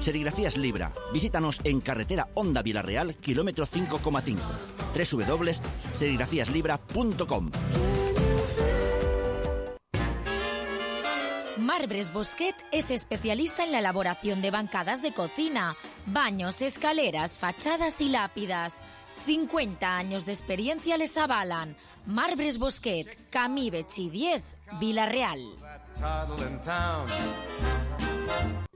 Serigrafías Libra. Visítanos en carretera Honda Villarreal, kilómetro cinco coma cinco. doble u doble u doble u punto serigrafías libra punto com. Marbres Bosquet es especialista en la elaboración de bancadas de cocina, baños, escaleras, fachadas y lápidas. cincuenta años de experiencia les avalan. Marbres Bosquet, Camí Betxí diez, Villarreal.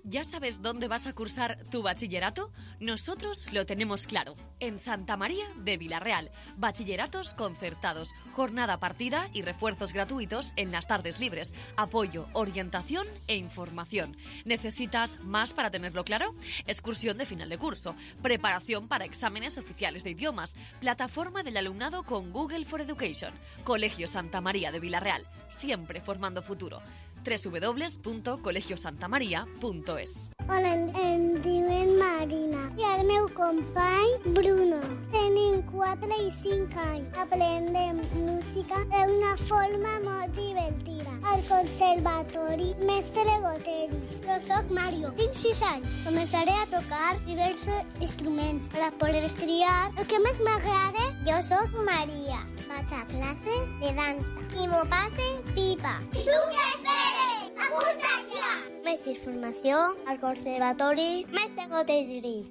¿Ya sabes dónde vas a cursar tu bachillerato? Nosotros lo tenemos claro. En Santa María de Villarreal. Bachilleratos concertados, jornada partida y refuerzos gratuitos en las tardes libres. Apoyo, orientación e información. ¿Necesitas más para tenerlo claro? Excursión de final de curso. Preparación para exámenes oficiales de idiomas. Plataforma del alumnado con Google for Education. Colegio Santa María de Villarreal. Siempre formando futuro. doble u doble u doble u punto colegio santa maria punto es. Hola, em, em diuen Marina i el meu company Bruno. Tenim quatre i cinc anys. Aprendem música d'una forma molt divertida. Al conservatori Mestre Goteris. Jo soc Mario, tinc sis anys. Començaré a tocar diversos instruments per a poder triar el que més m'agrada. Jo soc Maria. Vaig a classes de dansa i m'ho passe pipa. I tu què esperes? Apunta't ja! Més informació al Conservatori Mestre Goteris.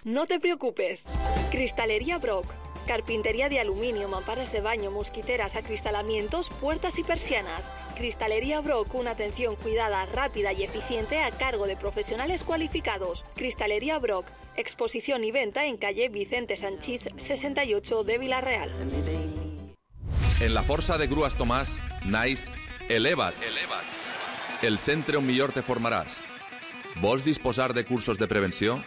No te preocupes. Cristalería Brock. Carpintería de aluminio, mamparas de baño, mosquiteras, acristalamientos, puertas y persianas. Cristalería Brock, una atención cuidada, rápida y eficiente a cargo de profesionales cualificados. Cristalería Brock, exposición y venta en calle Vicente Sanchís sesenta y ocho de Vila-real. En la Força de Grues Tomàs naix Eleva't. Eleva't. El centre on millor te formaràs. Vols disposar de cursos de prevenció?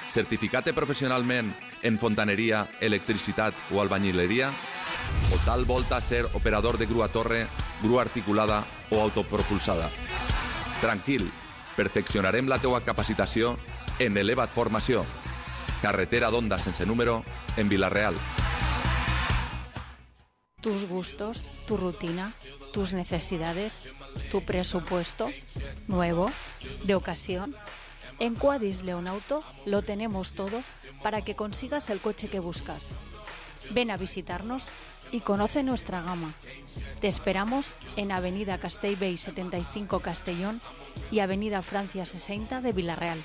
Certificat professionalment en fontaneria, electricitat o albañileria? O tal volta ser operador de grua torre, grua articulada o autopropulsada? Tranquil, perfeccionarem la teua capacitació en Eleva't Formació. Carretera d'Onda sense número en Vila-real. Tus gustos, tu rutina, tus necesidades, tu presupuesto, nuevo, de ocasión. En Quadis Leonauto lo tenemos todo para que consigas el coche que buscas. Ven a visitarnos y conoce nuestra gama. Te esperamos en Avenida Castellbell setenta y cinco Castellón y Avenida Francia sesenta de Vila-real.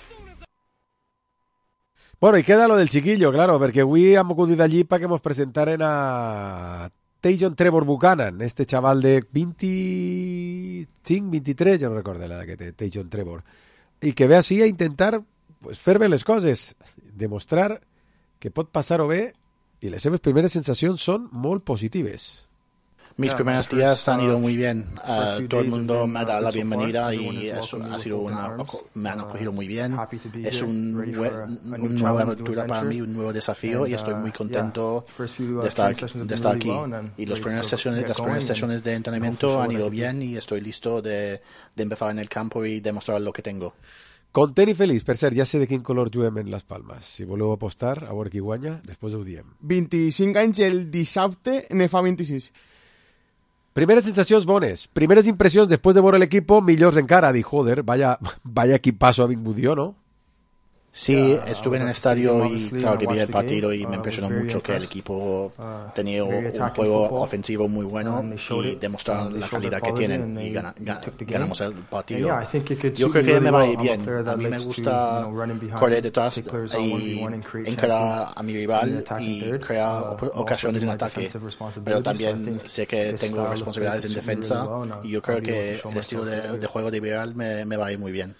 Bueno, y queda lo del chiquillo, claro, perquè avui hem acudit allí para que nos presentaren a Tajon Trevor Buchanan, este chaval de veinticinc, veintitrés, ja no recordo l'edat que té Tajon Trevor, i que ve així a intentar pues, fer bé les coses, demostrar que pot passar-ho bé, i les seves primeres sensacions són molt positives. Mis primeros días han ido muy bien. Uh, todo el mundo me ha dado la bienvenida y eso ha sido una, me han acogido muy bien. Es un, una nueva aventura para mí, un nuevo desafío y estoy muy contento de estar, de estar aquí. Y las primeras sesiones, las primeras sesiones de entrenamiento han ido bien y estoy listo de, de empezar en el campo y demostrar lo que tengo. Content i feliç, per cert, ja sé de quin color juguem en les Palmes. Si voleu apostar, a veure qui guanya, després ho diem. vint-i-cinc anys el dissabte, ne fa vint-i-sis. Primeres sensacions bones, primeres impressions després de veure l'equip, millors encara. Dir, joder, vaya, vaya equipazo ha vingut jo, no? Sí, estuve en el estadio y claro que vi el partido y me impresionó mucho que el equipo tenía un juego ofensivo muy bueno y demostraron la calidad que tienen y gana, gana, ganamos el partido. Yo creo que me va a ir bien. A mí me gusta correr detrás y encarar a mi rival y crear ocasiones en ataque, pero también sé que tengo responsabilidades en defensa y yo creo que el estilo de, de juego de Villarreal me, me va a ir muy bien.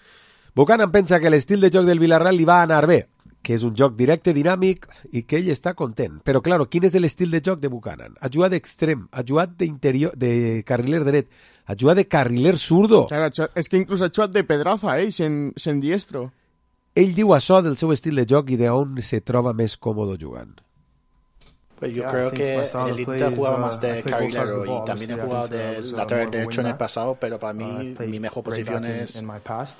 Buchanan pensa que l'estil de joc del Villarreal li va anar bé, que és un joc directe, dinàmic i que ell està content. Però, claro, quin és l'estil de joc de Buchanan? Ha jugat d'extrem, ha jugat d'interior, de carriler dret, ha jugat de carriler zurdo. Claro, és que inclús ha jugat de pedraza, eh, sen, sen diestro. Ell diu això del seu estil de joc i d'on se troba més còmode jugant. Pues yo creo que en el Inter jugaba más de carrilero y también he jugado de lateral derecho en el pasado, pero para mí mi mejor posición es,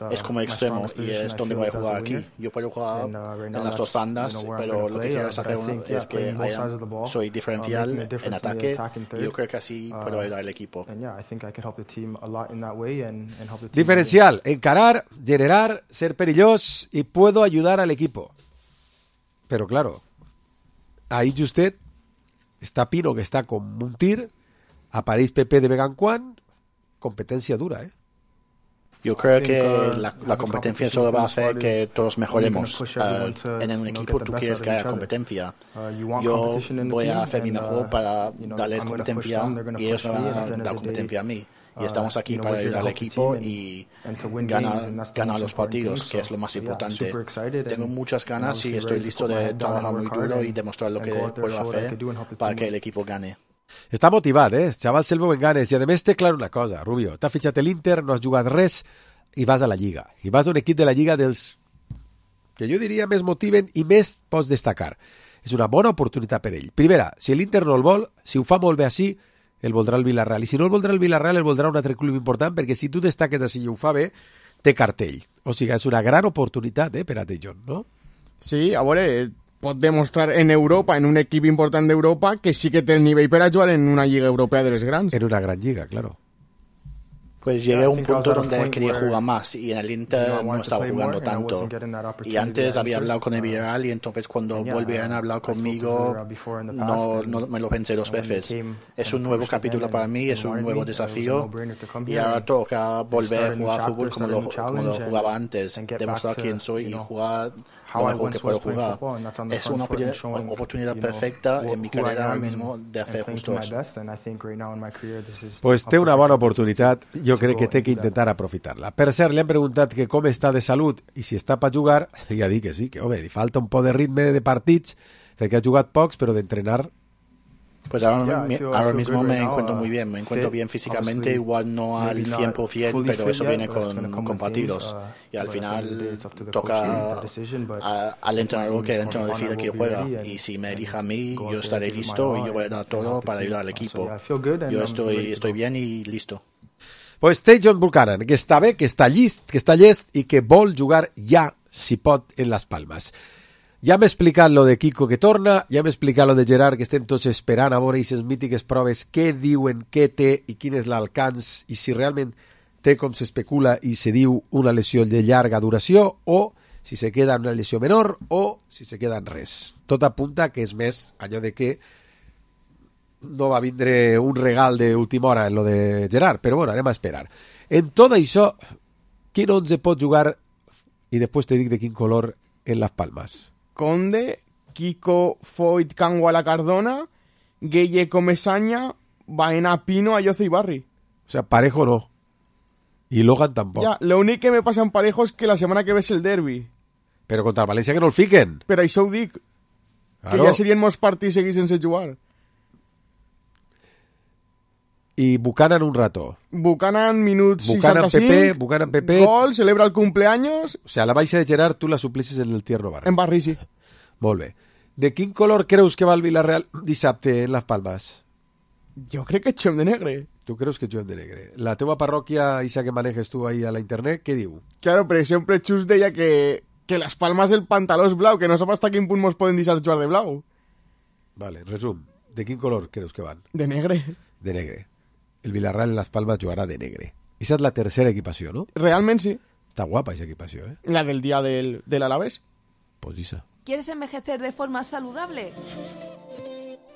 es como extremo y es donde voy a jugar aquí. Yo puedo jugar en las dos bandas, pero lo que quiero es hacer es que haya, soy diferencial en ataque y yo creo que así puedo ayudar al equipo. Diferencial, encarar, generar, ser perillós y puedo ayudar al equipo. Pero claro, ahí usted està Pino, que està com un tir, apareix Pepe de Beganquan, competencia dura, ¿eh? Yo creo que la, la competencia solo va a hacer que todos mejoremos. Uh, en un equipo tú quieres que haya competencia. Yo voy a hacer mi mejor para darles competencia y ellos me van a dar competencia a mí. Y estamos aquí para ayudar al equipo y ganar, ganar los partidos, que es lo más importante. Tengo muchas ganas y estoy listo de trabajar muy duro y demostrar lo que puedo hacer para que el equipo gane. Està motivat, eh? El xaval se'l veu en ganes. I a més té clar una cosa, Rubio. T'ha fitxat l'Inter, no has jugat res i vas a la Lliga. I vas a un equip de la Lliga dels que jo diria més motiven i més pots destacar. És una bona oportunitat per ell. Primera, si l'Inter no el vol, si ho fa molt bé així, el voldrà el Villarreal. I si no el voldrà el Villarreal, el voldrà un altre club important, perquè si tu destaques així i ho fa bé, té cartell. O sigui, és una gran oportunitat eh, per a Tajon, no? Sí, a veure, pot demostrar en Europa, en un equip important d'Europa, que sí que té el nivell per a jugar en una lliga europea de les grans. En una gran lliga, claro. Pues llegué a un punto donde quería jugar más y en el Inter no estaba jugando tanto. Y antes había hablado con el Villarreal y entonces cuando volvieron a hablar conmigo no, no me lo pensé dos veces. Es un nuevo capítulo para mí, es un nuevo desafío y ahora toca volver a jugar fútbol como lo, como lo jugaba antes, demostrar quién soy y jugar lo mejor que puedo jugar. Es una oportunidad perfecta en mi carrera ahora mismo de hacer justo eso. Pues té una bona oportunitat, jo crec que té que intentar aprofitar-la. Per cert, li han preguntat que com està de salut i si està per jugar, i ja dic que sí, que home, li falta un poc de ritme de partits, perquè ha jugat pocs, però d'entrenar... Pues ahora, ahora mismo me encuentro muy bien, me encuentro bien físicamente, igual no al cien por ciento, pero eso viene con, con partidos. Y al final toca a, al entrenador que el entrenador decide que juega. Y si me elija a mí, yo estaré listo y yo voy a dar todo para ayudar al equipo. Yo estoy, estoy bien y listo. Pues té John Buchanan, que està bé, que està llist, que està llest i que vol jugar ja, si pot, en Las Palmas. Ja m'he explicat lo de Kiko que torna, ja m'he explicat lo de Gerard, que estem tots esperant a veure aquestes mítiques proves, què diuen, què té i quin és l'alcance, i si realment té, com s'especula i se diu, una lesió de llarga duració, o si se queda en una lesió menor, o si se queda en res. Tot apunta que és més allò de que no va vindre un regal d'última hora en lo de Gerard, però bueno, anem a esperar. En tot això, quin onze pot jugar, i després te dic de quin color, en Las Palmas? Conde, Kiko, Foyt, Canguala, Cardona, Gueye, Comesaña, Baena, Pino, Ayoce y Barri. O sea, Parejo no. Y Logan tampoco. Ya, lo único que me pasa en Parejo es que la semana que ve es el derbi. Pero contra Valencia que no el fiquen. Pero això ho dic. Claro. Que ja serien molts partits seguits sense jugar. Y Buchanan un rato. Buchanan, minut Buchanan seixanta-cinc. Pepe, Buchanan Pepe. Gol, celebra el cumpleaños. O sea, la baixa de Gerard tú la suplices en el tierno Barri. En Barri, sí. Molt bé. De quin color creus que va el Villarreal dissabte en Las Palmas? Jo crec que xuem de negre. Tu creus que xuem de negre. La teua parròquia, Isa, que manejes tu ahí a la internet, què diu? Claro, per exemple, Xus deia que, que Las Palmas el pantaló és blau, que no sap hasta quin punt mos poden deixar jugar de blau. Vale, resum. De quin color creus que van? De negre. De negre. El Villarreal en Las Palmas jugarà de negre. Esa és la tercera equipació, ¿no? Realment sí. Està guapa esa equipació, ¿eh? La del día del, del Alavés. Pues Isa. ¿Quieres envejecer de forma saludable?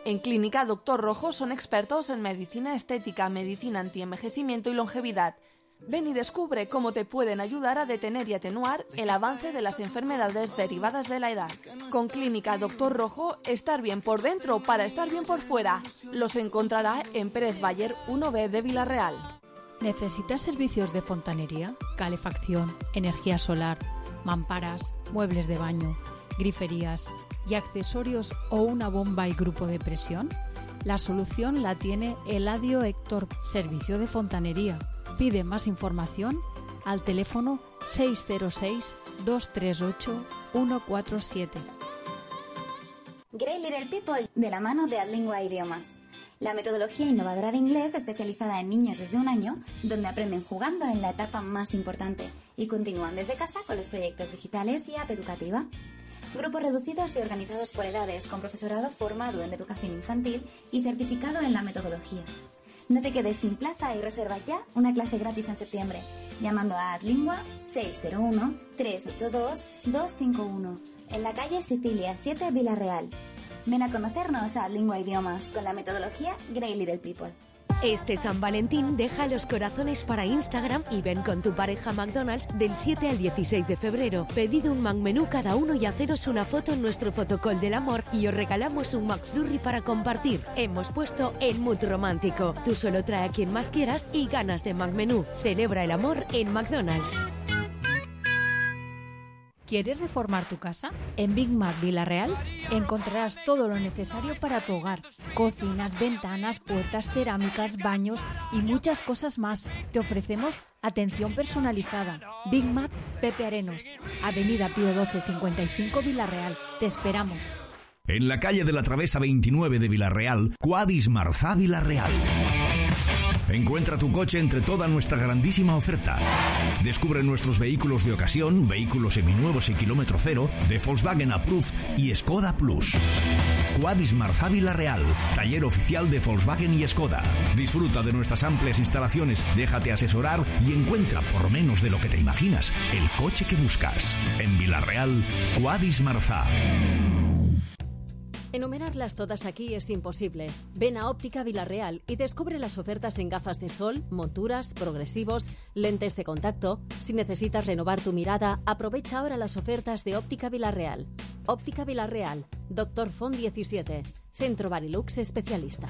En Clínica Doctor Rojo son expertos en medicina estética, medicina antienvejecimiento y longevidad. Ven y descubre cómo te pueden ayudar a detener y atenuar el avance de las enfermedades derivadas de la edad. Con Clínica Doctor Rojo, estar bien por dentro para estar bien por fuera. Los encontrará en Pérez Bayer uno B de Villarreal. ¿Necesitas servicios de fontanería, calefacción, energía solar, mamparas, muebles de baño, griferías y accesorios o una bomba y grupo de presión? La solución la tiene Eladio Héctor, Servicio de Fontanería. Pide más información al teléfono seis cero seis, dos tres ocho, uno cuatro siete. Great Little People, de la mano de Adlingua Idiomas. La metodología innovadora de inglés especializada en niños desde un año, donde aprenden jugando en la etapa más importante y continúan desde casa con los proyectos digitales y app educativa. Grupos reducidos y organizados por edades, con profesorado formado en educación infantil y certificado en la metodología. No te quedes sin plaza y reserva ya una clase gratis en septiembre, llamando a Adlingua seis cero uno, tres ocho dos, dos cinco uno, en la calle Sicilia siete, Villarreal. Ven a conocernos a Adlingua Idiomas con la metodología Great Little People. Este San Valentín deja los corazones para Instagram y ven con tu pareja a McDonald's del siete al dieciséis de febrero. Pedid un McMenú cada uno y haceros una foto en nuestro fotocall del amor y os regalamos un McFlurry para compartir. Hemos puesto el mood romántico. Tú solo trae a quien más quieras y ganas de McMenú. Celebra el amor en McDonald's. ¿Quieres reformar tu casa? En Big Mac Villarreal encontrarás todo lo necesario para tu hogar. Cocinas, ventanas, puertas, cerámicas, baños y muchas cosas más. Te ofrecemos atención personalizada. Big Mac Pepe Arenos, Avenida Pío doce cincuenta y cinco, Villarreal. Te esperamos. En la calle de la Travesa veintinueve de Villarreal, Cuadis Marzá Villarreal. Encuentra tu coche entre toda nuestra grandísima oferta. Descubre nuestros vehículos de ocasión, vehículos seminuevos y kilómetro cero, de Volkswagen Approved y Skoda Plus. Quadis Marzá Villarreal, taller oficial de Volkswagen y Skoda. Disfruta de nuestras amplias instalaciones, déjate asesorar y encuentra por menos de lo que te imaginas el coche que buscas. En Villarreal, Quadis Marzá. Enumerarlas todas aquí es imposible. Ven a Óptica Villarreal y descubre las ofertas en gafas de sol, monturas, progresivos, lentes de contacto. Si necesitas renovar tu mirada, aprovecha ahora las ofertas de Óptica Villarreal. Óptica Villarreal, Doctor Font diecisiete, Centro Barilux especialista.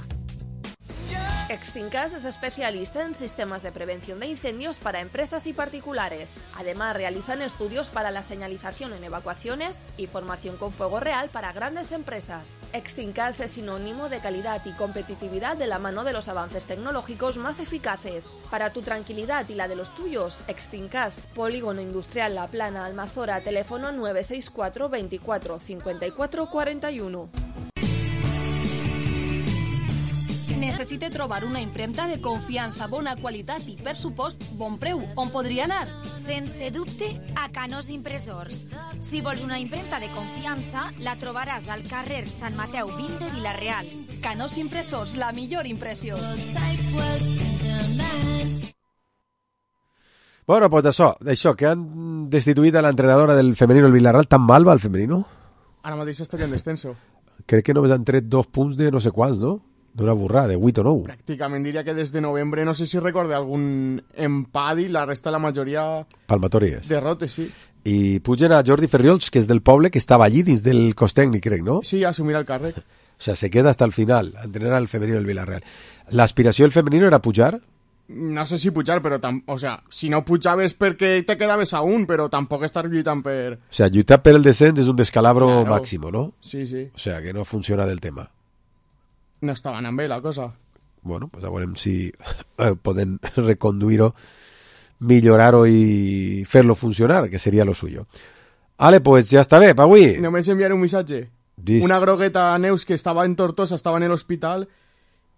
Extincas es especialista en sistemas de prevención de incendios para empresas y particulares. Además, realizan estudios para la señalización en evacuaciones y formación con fuego real para grandes empresas. Extincas es sinónimo de calidad y competitividad de la mano de los avances tecnológicos más eficaces. Para tu tranquilidad y la de los tuyos, Extincas, Polígono Industrial La Plana, Almazora, teléfono nueve seis cuatro veinticuatro cincuenta y cuatro cuarenta y uno. Necessite trobar una impremta de confiança, bona qualitat i, per supost, bon preu. On podria anar? Sense dubte, a Canós Impressors. Si vols una impremta de confiança, la trobaràs al carrer Sant Mateu vint de Vila-real. Canós Impressors, la millor impressió. Bueno, pues això, això, que han destituït a l'entrenadora del femenino el Villarreal. Tan mal va el femenino? Ara mateix estaria en descenso. Crec que només han tret dos punts de no sé quants, no? D'una borrada, de vuit o nou. Pràcticament diria que des de novembre, no sé si recorde algun empat i la resta, la majoria... Palmatòries. Derrotes, sí. I pugen a Jordi Ferriols, que és del poble, que estava allí dins del cos tècnic, crec, no? Sí, a assumir el càrrec. O sea, se queda hasta el final, a entrenar al femenino del Villarreal. L'aspiració del femenino era pujar? No sé si pujar, però... Tam... O sea, si no pujaves perquè te quedaves a un, però tampoc estar lluitant per... O sea, lluitar per el descens és un descalabro claro. màximo, no? Sí, sí. O sea, que no funciona del tema. No estava anant bé la cosa. Bueno, pues a veurem si poden reconduir-ho, millorar-ho i fer-lo funcionar, que seria lo suyo. Ale, pues ja està bé, pa avui. Només enviaré un missatge. Dis. Una grogueta a Neus que estava en Tortosa, estava en l'hospital.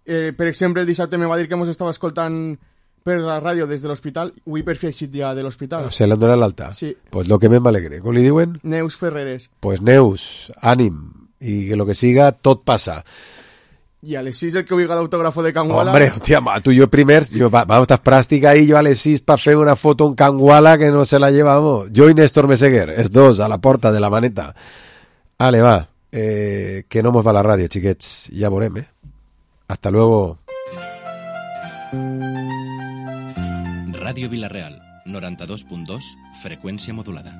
Eh, per exemple, el dissabte me va dir que mos estava escoltant per la ràdio des de l'hospital. Avui per fi eixit ja de l'hospital. Se l'han donat l'alta? Sí. Pues lo que més m'alegre. Com li diuen? Neus Ferreres. Pues Neus, ànim. I que lo que siga, tot passa. Y a les sis el que oiga el autógrafo de Canguala. Hombre, hostia, tú y yo primer, yo, vamos, estás práctica ahí, yo a les sis para hacer una foto en Canguala que no se la llevamos. Yo y Néstor Meseguer, es dos, a la porta de la maneta. Ale, va, eh, que no mos va la radio, chiquets, ya veurem, eh. Hasta luego. Radio Villarreal, noranta dos punt dos, freqüència modulada.